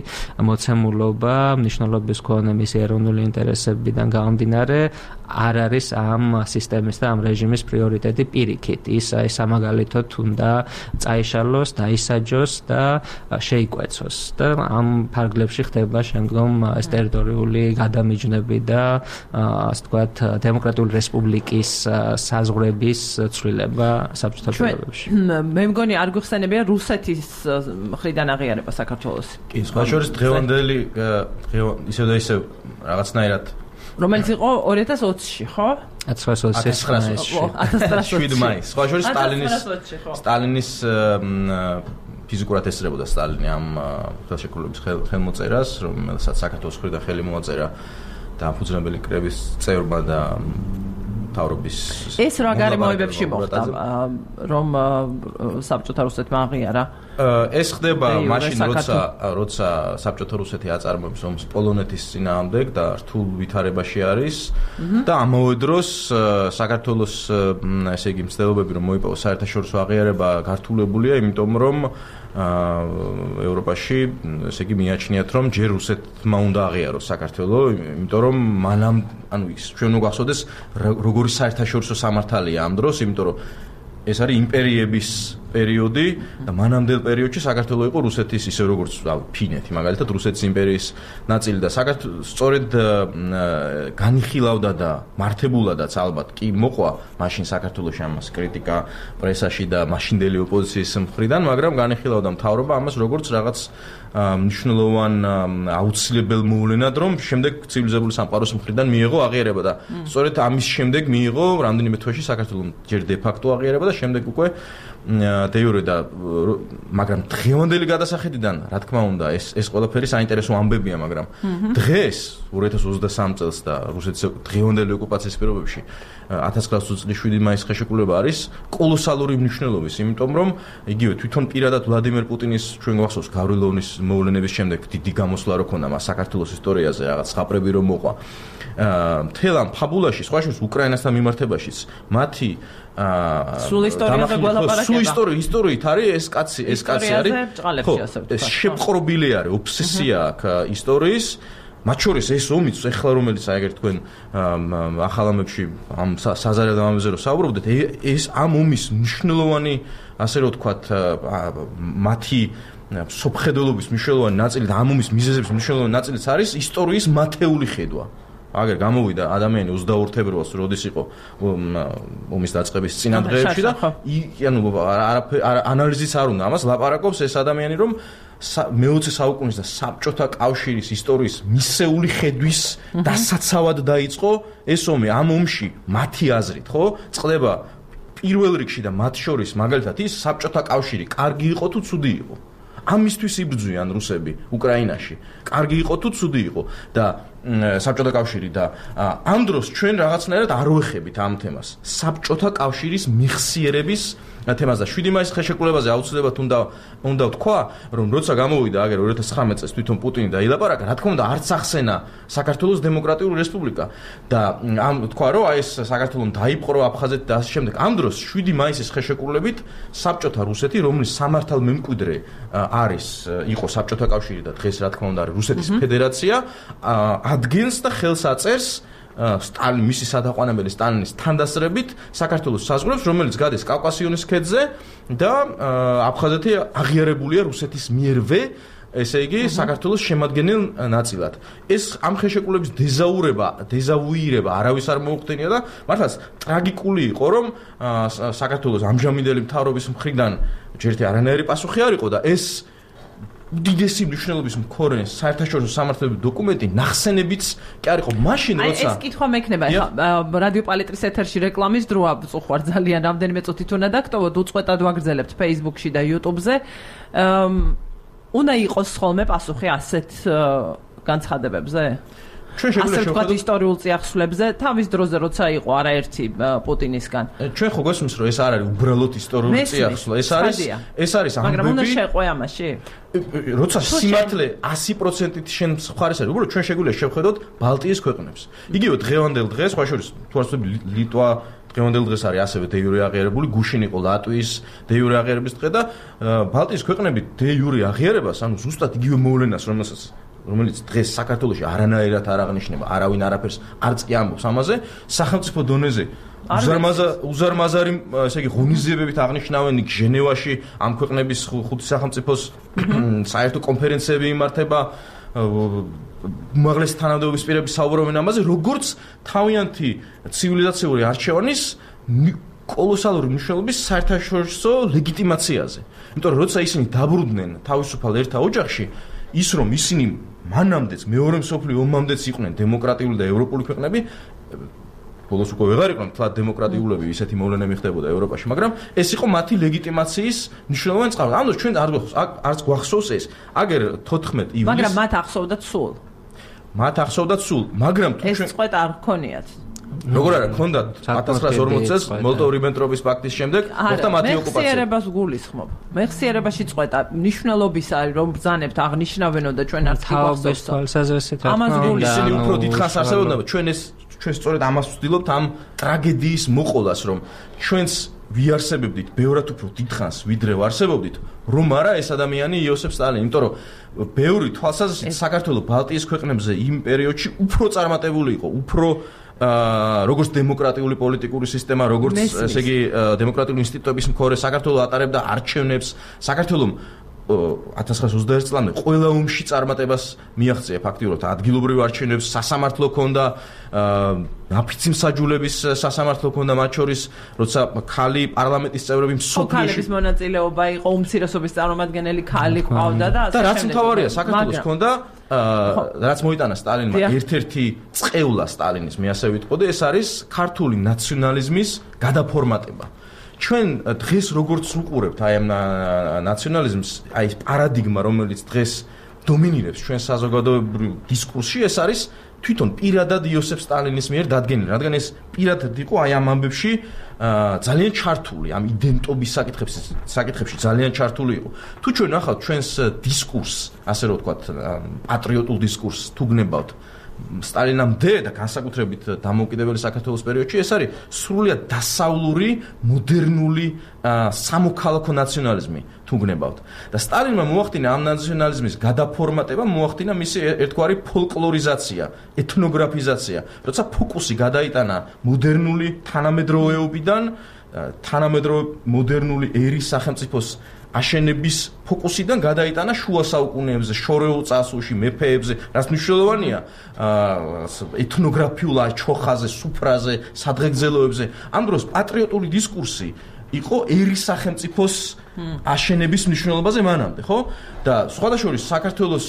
მოცემულობა, მნიშვნელობის მქონე მისი ეროვნული ინტერესებიდან გამომდინარე არ არის ამ სისტემის და ამ რეჟიმის პრიორიტეტი პირიქით. ის აი სამაგალითოდ უნდა წაიშალოს, დაისაჯოს და შეიკვეცოს და ამ ფარგლებში ხდება შემდგომ ეს ტერიტორიული გადამიჯნები და ასე ვთქვათ დემოკრატიული რესპუბლიკის საზღვრების ცვლილება საბჭოთა პირობებში. მე მგონი არ გვიხსენებია რუსეთის მხრიდან აღიარება საქართველოს. კი, სხვა შორის დღევანდელი ისევ და ისევ რაღაცნაირად რომელიც იყო 2020-ში, ხო? 1907 მაისს. სხვა შორის სტალინის ფიზიკურად ესწრებოდა სტალინი ამ ხელშეკრულების ხელმოწერას, რომელსაც საქართველოს მხრიდან ხელი მოაწერა დამფუძნებელი კრების წევრმა და თავრობის ეს რა გარემოებებში მოხდა, რომ საბჭოთა რუსეთმა აღიარა? ეს ხდება მაშინ, როცა საბჭოთა რუსეთი აწარმოებს ომს პოლონეთის წინააღმდეგ და რთულ ვითარებაში არის და ამავე დროს საქართველოს ესე იგი მცდელობები რომ მოიპოვოს საერთაშორისო აღიარება გართულებულია, იმიტომ რომ ევროპაში ესე იგი მიაჩნიათ რომ ჯერ რუსეთმა უნდა აღიაროს საქართველო, იმიტომ რომ მანამ ანუ ის ჩვენ უნდა გვახსოვდეს როგორი საერთაშორისო სამართალია ამ დროს, იმიტომ რომ ეს არის იმპერიების პერიოდი და მანამდელ პერიოდში საქართველო იყო რუსეთის ისე როგორც ფინეთი, მაგალითად რუსეთის იმპერიის ნაწილი და სწორედ განიხილავდა და მართებულადაც ალბათ კი მოყვა მაშინ საქართველოში ამას კრიტიკა პრესაში და მაშინდელი ოპოზიციის მხრიდან, მაგრამ განიხილავდა მთავრობა ამას როგორც რაღაც მნიშვნელოვან აუცილებელ მოვლენად, რომ შემდეგ ცივილიზებული სამყაროს მხრიდან მიიღო აღიარება და სწორედ ამის შემდეგ მიიღო რამდენიმე თვეში საქართველოს ჯერ დე ფაქტო აღიარება და შემდეგ უკვე დე იურე და მაგრამ დღევანდელი გადასახედიდან რა თქმა უნდა ეს ყველაფერი საინტერესო ამბებია, მაგრამ დღეს 2023 წელს და რუსეთის დღევანდელი ოკუპაციის პირობებში 1927 მაისის ხელშეკრულება არის კოლოსალური მნიშვნელობის, იმიტომ რომ იგივე თვითონ პირადად ვლადიმერ პუტინის ჩვენ გვახსოვს გავრილოვნის მოვლენების შემდეგ დიდი გამოსვლა რო ქონდა მას საქართველოს ისტორიაზე, რაღაც ხაპრები რომ მოყვა მთელ ამ ფაბულაში, სხვა შორის უკრაინასთან მიმართებაშიც მათი სულ ისტორიაზე გველაპარაკება. ისტორიით არის ეს კაცი არის. ეს შეპყრობილი არის, ობსესია აქვს ისტორიის. მათ შორის ეს ომიც ეხლა რომელიც აი ეგერ თქვენ ახალ ამებში ამ საზარელ ამბებზე რომ საუბრობდეთ, ეს ამ ომის მნიშვნელოვანი ასე რომ ვთქვათ მათი სოფხედელობის მნიშვნელოვანი ნაწილი და ამ ომის მიზეზების მნიშვნელოვანი ნაწილიც არის ისტორიის მათეული ხედვა. აგერ გამოვიდა ადამიანი 22 თებერვალს, როდის იყო ომის დაწყების წინა დღეებში და ანუ ანალიზიც არ უნდა ამას ლაპარაკობს ეს ადამიანი, რომ მე-20 საუკუნის და საბჭოთა კავშირის ისტორიის მისეული ხედვის დასაცავად დაიწყო ეს ომი. ამ ომში მათი აზრით, ხო, წყდება პირველ რიგში და მათ შორის მაგალითად ის საბჭოთა კავშირი კარგი იყო თუ ცუდი იყო. ამისთვის იბრძვიან რუსები უკრაინაში. კარგი იყო თუ ცუდი იყო და საბჭოთა კავშირი და ამ დროს ჩვენ რაღაცნაირად არ ვეხებით ამ თემას. საბჭოთა კავშირის მიხსიერების თემას და 7 მაისის ხელშეკრულებაზე აუცილებლად უნდა ვთქვა, რომ როცა გამოვიდა აგერ 2019 წელს თვითონ პუტინი და ილაპარაკა, რა თქმა უნდა არც ახსენა საქართველოს დემოკრატიული რესპუბლიკა და ამ თქვა, რომ აი ეს საქართველოს დაიპყრო აფხაზეთი და ასე შემდეგ. ამ დროს 7 მაისის ხელშეკრულებით საბჭოთა რუსეთი, რომლის სამართალ მემკვიდრე იყო საბჭოთა კავშირი და დღეს რა თქმა უნდა არის რუსეთის ფედერაცია, ადგენს და ხელს აწერს მისი სადაყვანებელი სტალინის თანდასწრებით საქართველოს საზღვრებს, რომელიც გადის კავკასიონის ქედზე და აფხაზეთი აღიარებულია რუსეთის მიერვე, ესე იგი საქართველოს შემადგენელ ნაწილად. ეს ამ ხელშეკრულების დეზავუირება არავის არ მოუხდენია და მართლაც ტრაგიკული იყო, რომ საქართველოს ამჟამინდელი მთავრობის მხრიდან ჯერტი არანაირი პასუხი არ იყო და ეს უდიდესი მნიშვნელობის მქონე საერთაშორისო სამართლებრივი დოკუმენტი ნახსენებიც კი არ იყო მაშინ როცა ეს კითხვა მექნება ეხლა რადიო პალიტრის ეთერში რეკლამის დროა წუხვარ ძალიან რამდენიმე წუთით უნდა დაგტოვოთ უწყვეტად ვაგრძელებთ Facebook-ში და YouTube-ზე უნდა იყოს ხოლმე პასუხი ასეთ განცხადებებზე ჩვენ შეგვიძლია შევხედოთ ისტორიულ წიაღსვლებზე თავის დროზე როცა იყო არაერთი პუტინისგან ჩვენ ხო გვესმის რომ ეს არ არის უბრალოდ ისტორიული წიაღსვლა ეს არის ამბები მაგრამ უნდა შეყვე ამაში როცა სიმართლე 100%-ით შენ მხარეს არის უბრალოდ ჩვენ შეგვიძლია შევხედოთ ბალტიის ქვეყნებს იგივე დღევანდელ დღეს სხვა შორის თუ არ ვთქვი ლიტვა დღევანდელ დღეს არის ასევე დე იურე აღიარებული გუშინ იყო ლატვიის დე იურე აღიარების დღე და ბალტიის ქვეყნები დე იურე აღიარებას ანუ ზუსტად იგივე მოვლენას რომელიც დღეს საქართველოში არანაირად არ აღნიშნება, არავინ არაფერს არც კი ამბობს ამაზე, სახელმწიფო დონეზე უზარმაზარი, ესე იგი, ღონისძიებებით აღნიშნავენ ჟენევაში ამ ქვეყნების ხუთი სახელმწიფოს საერთო კონფერენციები იმართება, უმაღლესი თანამდებობის პირები საუბრობენ ამაზე, როგორც თავიანთი ცივილიზაციური არჩევანის კოლოსალური მნიშვნელობის საერთაშორისო ლეგიტიმაციაზე. იმიტომ რომ როცა ისინი დაბრუნდნენ თავისუფალ ერთა ოჯახში, ის რომ ისინი მანამდეც მეორე მსოფლიო ომამდეც იყვნენ დემოკრატიული და ევროპული ქვეყნები, ბოლოს უკვე ვეღარ იყვნენ თლად დემოკრატიულები, ისეთი მოვლენები ხდებოდა ევროპაში, მაგრამ ეს იყო მათი ლეგიტიმაციის მნიშვნელოვანი წყარო. ამიტომ ჩვენ არც გვახსოვს ეს. აგერ 14 ივნის მაგრამ მათ ახსოვდათ სულ. მაგრამ თუ ჩვენ ეს წყვეტა არ გქონიათ. როგორ არა, გქონდათ 1940 წელს მოლოტოვ-რიბენტროპის პაქტის შემდეგ, მოხდა მათი ოკუპაცია. მეხსიერებას გულისხმობ. მეხსიერებაში წყვეტა მნიშვნელობისა, რომ ბრძანებთ აღნიშნავენო და ჩვენ არც თავის თვალსაზრისით რა თქმა უნდა, ისინი უფრო დიდხანს არსებობდნენ, ჩვენ სწორედ ამას ვცდილობთ ამ ტრაგედიის მოყოლას, რომ ჩვენს ვიარსებებდით ბევრად უფრო დიდხანს, ვიდრე ვარსებობდით, რომ არა ეს ადამიანი იოსებ სტალინი, იმიტომ რომ ბევრი თვალსაზრისით საქართველოს ბალტიის ქვეყნებზე იმ პერიოდში უფრო წარმატებული იყო, უფრო როგორც დემოკრატიული პოლიტიკური სისტემა, როგორც ესე იგი დემოკრატიული ინსტიტუტების მქონე საქართველოს ატარებდა არჩევნებს, საქართველოს 1921 წლამდე ყველა ომში წარმატებას მიაღწია ფაქტიურად ადგილობრივ არჩევნებს, სასამართლო ქონდა, ნაფიცი მსაჯულების სასამართლო ქონდა მათ შორის, როცა ქალი პარლამენტის წევრები მსოფლიოში ქალების მონაწილეობა იყო, უმცირესობის წარმომადგენელი ქალი ყავდა და და რაც მთავარია საქართველოს ქონდა რაც მოიტანა სტალინმა ერთ-ერთი წყევლა სტალინის მე ასე ვიტყოდი ეს არის ქართული ნაციონალიზმის გადაფორმატება ჩვენ დღეს როგორც უყურებთ აი ამ ნაციონალიზმს აი ეს პარადიგმა რომელიც დღეს დომინირებს ჩვენ საზოგადოებრივ დისკურსში ეს არის თვითონ პირადად იოსებ სტალინის მიერ დადგენილი რადგან ეს პირადად იყო აი ამ ამბებში ძალიან ჩართული ამ იდენტობის საკითხებში ძალიან ჩართული იყო თუ ჩვენ ახლა ჩვენს დისკურსს ასე რომ ვთქვათ პატრიოტულ დისკურსს თუ გნებავთ სტალინამდე და განსაკუთრებით დამოუკიდებელი საქართველოს პერიოდში ეს არის სრულიად დასავლური მოდერნული სამოქალაქო ნაციონალიზმი თუ გნებავთ და სტალინმა მოახდინა ამ ნაციონალიზმის გადაფორმატება მოახდინა მისი ერთგვარი ფოლკლორიზაცია ეთნოგრაფიზაცია როცა ფოკუსი გადაიტანა მოდერნული თანამედროვეობიდან თანამედროვე მოდერნული ერის სახელმწიფოს აშენების ფოკუსიდან გადაიტანა შუა საუკუნეებზე, შორეულ წარსულში, მეფეებზე, რაც მნიშვნელოვანია ეთნოგრაფიულ ჩოხაზე, სუფრაზე, სადღეგრძელოებზე. ამ დროს პატრიოტული დისკურსი იყო ერის სახელმწიფოს აშენების მნიშვნელობაზე მანამდე, ხო? და სხვადასხვა საქართველოს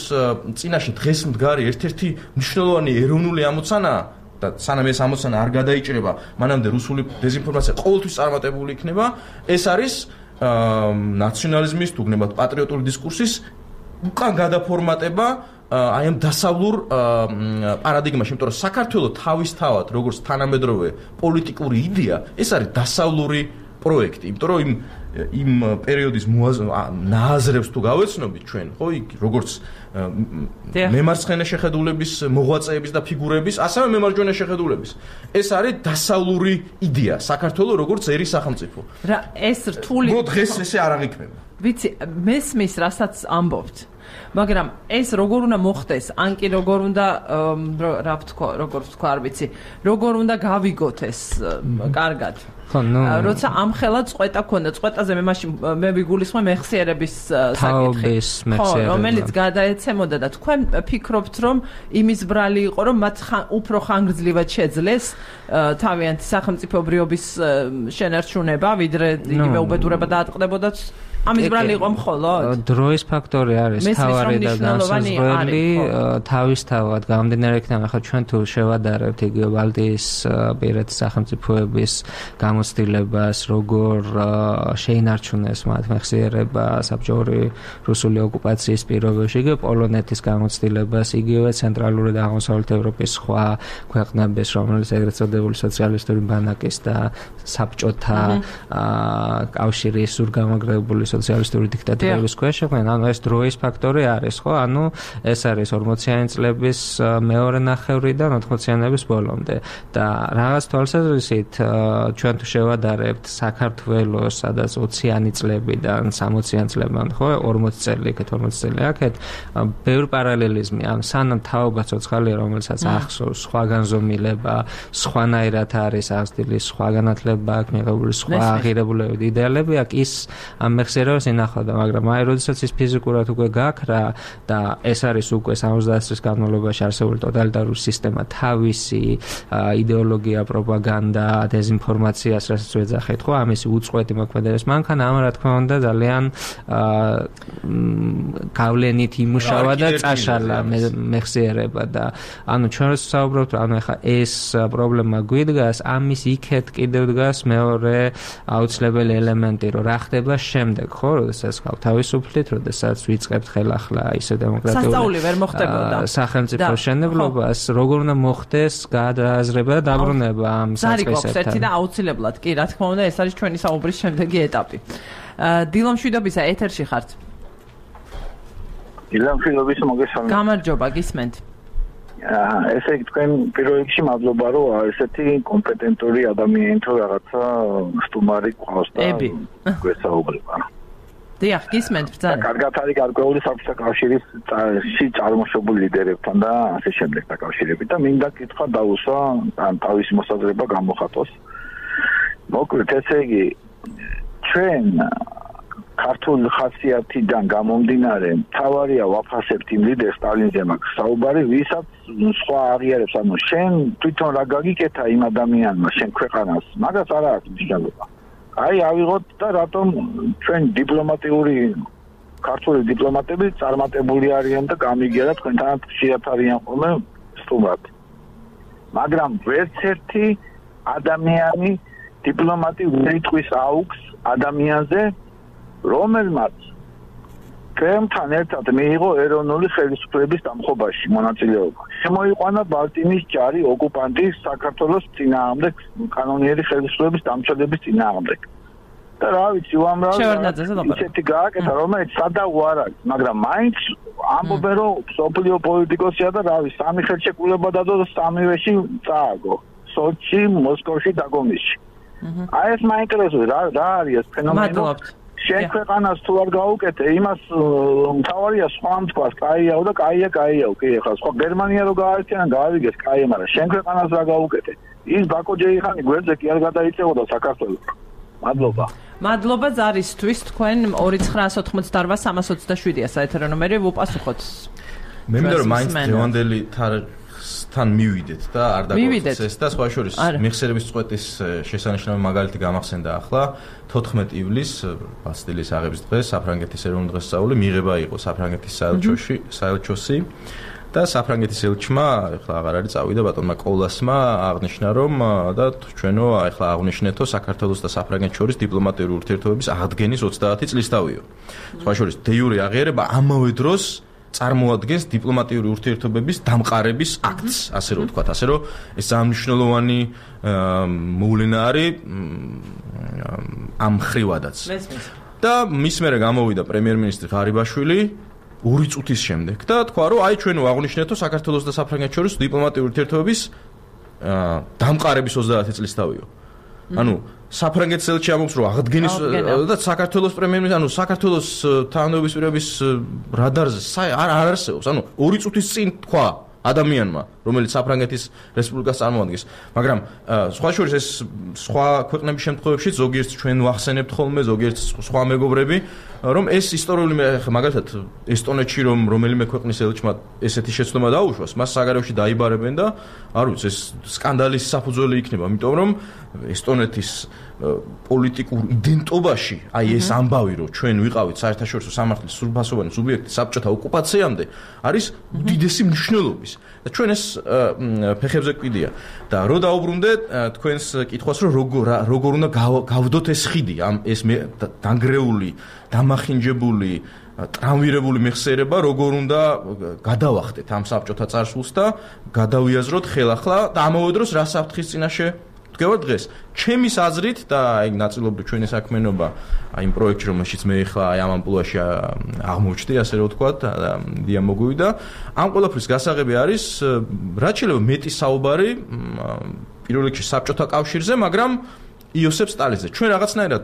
წინაშე დღეს მდგარი ერთ-ერთი მნიშვნელოვანი ეროვნული ამოცანაა და სანამ ეს ამოცანა არ გადაიჭრება, მანამდე რუსული დეზინფორმაცია ყოველთვის წარმატებული იქნება. ეს არის ნაციონალიზმის თუ გნებავთ პატრიოტული დისკურსის უკან გადაფორმატება აი ამ დასავლურ პარადიგმაში, იმიტომ რომ საქართველოს თავისთავად როგორც თანამედროვე პოლიტიკური იდეა, ეს არის დასავლური პროექტი, იმიტომ რომ იმ პერიოდის ნააზრებს თუ გავეცნობით ჩვენ, ხო, როგორც მემარცხენე შეხედულების მოღვაწეების და ფიგურების, ასევე მემარჯვენე შეხედულების. ეს არის დასავლური იდეა, საქართველოს როგორც ერის სახელმწიფო. რა ეს რთული დღეს ესე არ აღიქმება. ვიცი, მესმის, რასაც ამბობთ. მაგრამ ეს როგორ უნდა მოხდეს? ან კი როგორ უნდა როგორ ვთქვა, არ ვიცი, როგორ უნდა გავიგოთ ეს კარგად? როცა ამხელა წვეტა ქონდა, წვეტაზე მე ვიგულისხმე მეხსიერების საკითხი, რომელიც გადაეცემოდა და თქვენ ფიქრობთ, რომ იმის ბრალი იყო, რომ მათ უფრო ხანგრძლივად შეძლეს თავიანთი სახელმწიფობრიობის შენარჩუნება, ვიდრე იგივე უბედურება დაატყდებოდათ? ამის ბრალი იყო მხოლოდ? დროის ფაქტორი არის თავარი და განსაზღვრელი, თავისთავად გამომდინარე იქიდან, ახლა ჩვენ თუ შევადარებთ იგივე ბალტიისპირეთის სახელმწიფოების გამოცდილებას, როგორ შეინარჩუნეს მათ მეხსიერება საბჭოური რუსული ოკუპაციის პირობებში, იგივე პოლონეთის გამოცდილებას, იგივე ცენტრალური და აღმოსავლეთ ევროპის სხვა ქვეყნების, რომელიც ეგრეთ წოდებული სოციალისტური ბანაკის და საბჭოთა კავშირის სრულგამაგრებული სოციალისტური დიქტატურების ქვეშ იყვნენ, ანუ ეს დროის ფაქტორი არის, ხო? ანუ ეს არის 40-იანი წლების მეორე ნახევრიდან 80-იანების ბოლომდე და რაღაც თვალსაზრისით ჩვენ თუ შევადარებთ საქართველოს, სადაც 20-იანი წლებიდან 60-იან წლებამდე, ხო, 40 წელი იქეთ, 40 წელი აქეთ, ბევრი პარალელიზმი, ან სანამ თაობა ცოცხალია, რომელსაც ახსოვს, სხვა განზომილება, სხვანაირად არის აღზრდილი, სხვა განათლება აქვს მიღებული, სხვა აღირებულები, იდეალები აქვს, ის ამ მეხსიერებას ინახავდა, მაგრამ აი, როდესაც ის ფიზიკურად უკვე გაქრა და ეს არის უკვე 70 წლის განმავლობაში არსებული ტოტალიტარული სისტემა, თავისი იდეოლოგია, პროპაგანდა, დეზინფორმაციას, რასაც ვეძახით, ხო, ამისი უწყვეტი მოქმედების მანქანა, ამ რა თქმა უნდა, ძალიან გავლენით იმუშავა და წაშალა მეხსიერება და ანუ ჩვენ როცა საუბრობთ, ანუ ეხლა ეს პრობლემა გვიდგას, ამის იქეთ კიდევ დგას მეორე აუცილებელი ელემენტი, რომ რა ხდება შემდეგ, ხო, როდესაც გავ თავისუფლით, როდესაც ვიწყებთ ხელახლა ისე დემოკრატიული სახელმწიფო შენებლობას, როგორ უნდა მოხდეს გადააზრება და დაბრუნება ამ საწყისებთან. ერთი და აუცილებლად, კი, რა თქმა უნდა, ეს არის ჩვენი საუბრის შემდეგი ეტაპი. დილო მშვიდობისა, ეთერში ხართ. დილო მშვიდობის, მოგესალმებით. გამარჯობა, გისმენთ. ესე იგი თქვენ პირველ რიგში მადლობა, რომ ესეთი კომპეტენტური ადამიანი თუ რაღაცა სტუმარი ყავს და გვესაუბრება. დიახ, გისმენთ ბრძანა. კარგად არის გარკვეული საბჭოთა კავშირში წარმოშობილი ლიდერებთან და ასე შემდეგ დაკავშირებით და მინდა კითხვა დაუსვა, ან თავისი მოსაზრება გამოხატოს. მოკლედ, ესე იგი, ჩვენ ქართულ ხასიათიდან გამომდინარე, თავარია ვაფასებთ იმ ლიდერ სტალინზე მაქვს საუბარი, ვისაც სხვა აღიარებს, ანუ შენ თვითონ რა გაგიკეთა იმ ადამიანმა, შენ ქვეყანას, მაგას არა აქვს მნიშვნელობა. აი, ავიღოთ და რატომ ჩვენ დიპლომატიური ქართული დიპლომატები წარმატებული არიან და გამიგია და თქვენთან ხშირად არიან ხოლმე სტუმრად. მაგრამ ვერც ერთი ადამიანი დიპლომატი ვერ იტყვის აუქს ადამიანზე, რომელმაც კრემლთან ერთად მიიღო ეროვნული ხელისუფლების დამხობაში მონაწილეობა. შემოიყვანა ბალტიმის ჯარი ოკუპანტის საქართველოს წინააღმდეგ, კანონიერი ხელისუფლების დამცველების წინააღმდეგ. და რა ვიცი, უამრავი ისეთი გააკეთა, რომელიც სადაო არ არის, მაგრამ მაინც ამბობენ, რომ სოფლიო პოლიტიკოსია და რა ვიცი, სამი ხელშეკრულება დადო და სამივეში წააგო. სოჩი, მოსკოვში და გომისში. აი ეს მაინტერესებს რა არის ეს ფენომენი? შენ ქვეყანას თუ არ გაუკეთე, იმას მთავარია სხვა თქვას, კაიაო და კაიაო, კი ახლა სხვა გერმანია რო გაარჩენა, გაავიგეს კაია, მაგრამ შენ ქვეყანას რა გაუკეთე? ის ბაკო ჯეიხანი გვერდზე კი არ გადაიწევოდა საქართველოს. მადლობა. მადლობა ზარისთვის, თქვენ 2988-327-ია საეთერო ნომერი, ვუპასუხოთ. მე მინდა რომ მაინც დღევანდელი თან მივიდეთ და არ დაგვრჩეს ეს და სხვა შორის მეხსიერების წვეტის შესანიშნავი მაგალითი გამახსენდა ახლა 14 ივლისს ბასტილიის აღების დღეს საფრანგეთის ეროვნული დღესასწაული მიღება იყო საფრანგეთის საელჩოსი და საფრანგეთის ელჩმა ახლა აღარ არის წავიდა ბატონმა კოლასმა აღნიშნა რომ და ჩვენო ახლა აღნიშნეთო საქართველოს და საფრანგეთის შორის დიპლომატიური ურთიერთობების აღდგენის 30 წლისთავიო. სხვა შორის დე იურე აღიარება ამავე დროს წარმოადგენს დიპლომატიური ურთიერთობების დამყარების აქტს, ასე რომ ვთქვათ, ასე რომ ეს მნიშვნელოვანი მოვლენა არის ამ ხრივადაც. და მის მერე გამოვიდა პრემიერ-მინისტრი ღარიბაშვილი 2 წუთის შემდეგ და თქვა, რომ აი ჩვენ ვაღნიშნეთო საქართველოს და საფრანგეთის შორის დიპლომატიური ურთიერთობების დამყარების 30 წლისთავიო. ანუ საფრანგეთის ელჩი ამბობს რომ აღდგენის და საქართველოს პრემიერ-მინისტრი ანუ საქართველოს თანამდებობის პირების რადარზე არ არსებობს ანუ 2 წუთის წინ თქვა ადამიანმა რომელიც საფრანგეთის რესპუბლიკას წარმოადგენს მაგრამ სხვა შორის ეს სხვა ქვეყნების შემთხვევებში ზოგიერთ ჩვენ ვახსენებთ ხოლმე ზოგიერთ სხვა მეგობრები რომ ეს ისტორიული მაგალითად ესტონეთში რომ რომელიმე ქვეყნის ელჩმა ესეთი შეცდომა დაუშვას მას საგარეოში დაიბარებენ და არ ვიცი ეს სკანდალის საფუძველი იქნება იმიტომ რომ ესტონეთის პოლიტიკურ იდენტობაში აი ეს ამბავი რომ ჩვენ ვიყავით საერთაშორისო სამართლის სრულფასოვანი სუბიექტი საბჭოთა ოკუპაციამდე არის უდიდესი მნიშვნელობის და ჩვენ ეს ფეხებზე გვიდია და რო დაუბრუნდე თქვენს კითხვას რომ როგორ უნდა გავდოთ ეს ხიდი ამ ეს დანგრეული დამახინჯებული ტრამვირებული მეხსიერება როგორ უნდა გადავახდეთ ამ საბჭოთა წარსულს და გადავიაზროთ ხელახლა და ამავე დროს რა საფრთხის წინაშე ვდგევართ დღეს ჩემის აზრით და აი ნაწილობრივ ჩვენი საქმიანობა აი იმ პროექტში რომელშიც მე ხა აი ამ ამპლუაში აღმოჩნდი ასე რომ ვთქვათ დია მოგვივიდა ამ ყველაფრის გასაღები არის რაც შეიძლება მეტი საუბარი პირველ რიგში საბჭოთა კავშირზე მაგრამ იოსებ სტალინზე ჩვენ რაღაცნაირად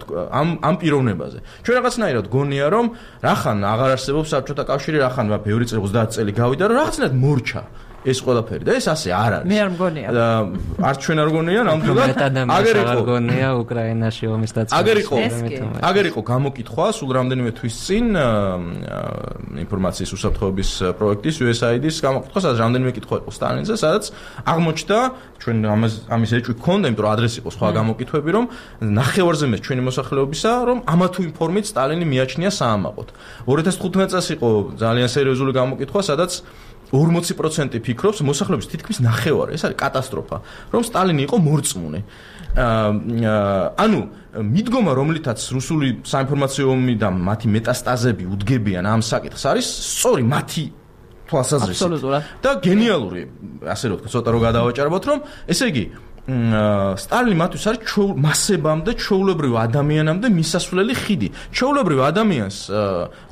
ამ პიროვნებაზე ჩვენ რაღაცნაირად გონია რომ რახან აღარ არსებობს საბჭოთა კავშირი რახან ბევრი წელი 30 წელი გავიდა რომ რაღაცნაირად მორჩა ეს ყველაფერი და ეს ასე არ არის. მე არ მგონია. არც ჩვენ არ გონია, ნამდვილად. აგერ გონია უკრაინაში ომის დაწყება. აგერ იყო გამოკითხვა სულ რამდენიმე თვის წინ ინფორმაციის უსაფრთხოების პროექტის USAID-ის გამოკითხვა, სადაც რამდენიმე კითხვა იყო სტალინზე, სადაც აღმოჩნდა ჩვენ ამის ეჭვი გქონდა, იმიტომ რომ ადრესი იყო სხვა გამოკითხვები, რომ ნახევარზე მეტ ჩვენი მოსახლეობისა, რომ ამა თუ იმ ფორმით სტალინი მიაჩნია საამაყოდ. 2015 წელს იყო ძალიან სერიოზული გამოკითხვა, სადაც 40% ფიქრობს მოსახლეობის თითქმის ნახევარი, ეს არის კატასტროფა, რომ სტალინი იყო მორწმუნე. ანუ მიდგომა, რომლითაც რუსული საინფორმაციო ომი და მათი მეტასტაზები უდგებიან ამ საკითხს, არის სწორი მათი თვალსაზრისით. და გენიალური, ასე რომ ვთქვა, ცოტა რომ გადავაჭარბოთ, რომ ესე იგი სტალინი მათთვის არის მასებამდე, ჩვეულებრივ ადამიანამდე მისასვლელი ხიდი. ჩვეულებრივ ადამიანს,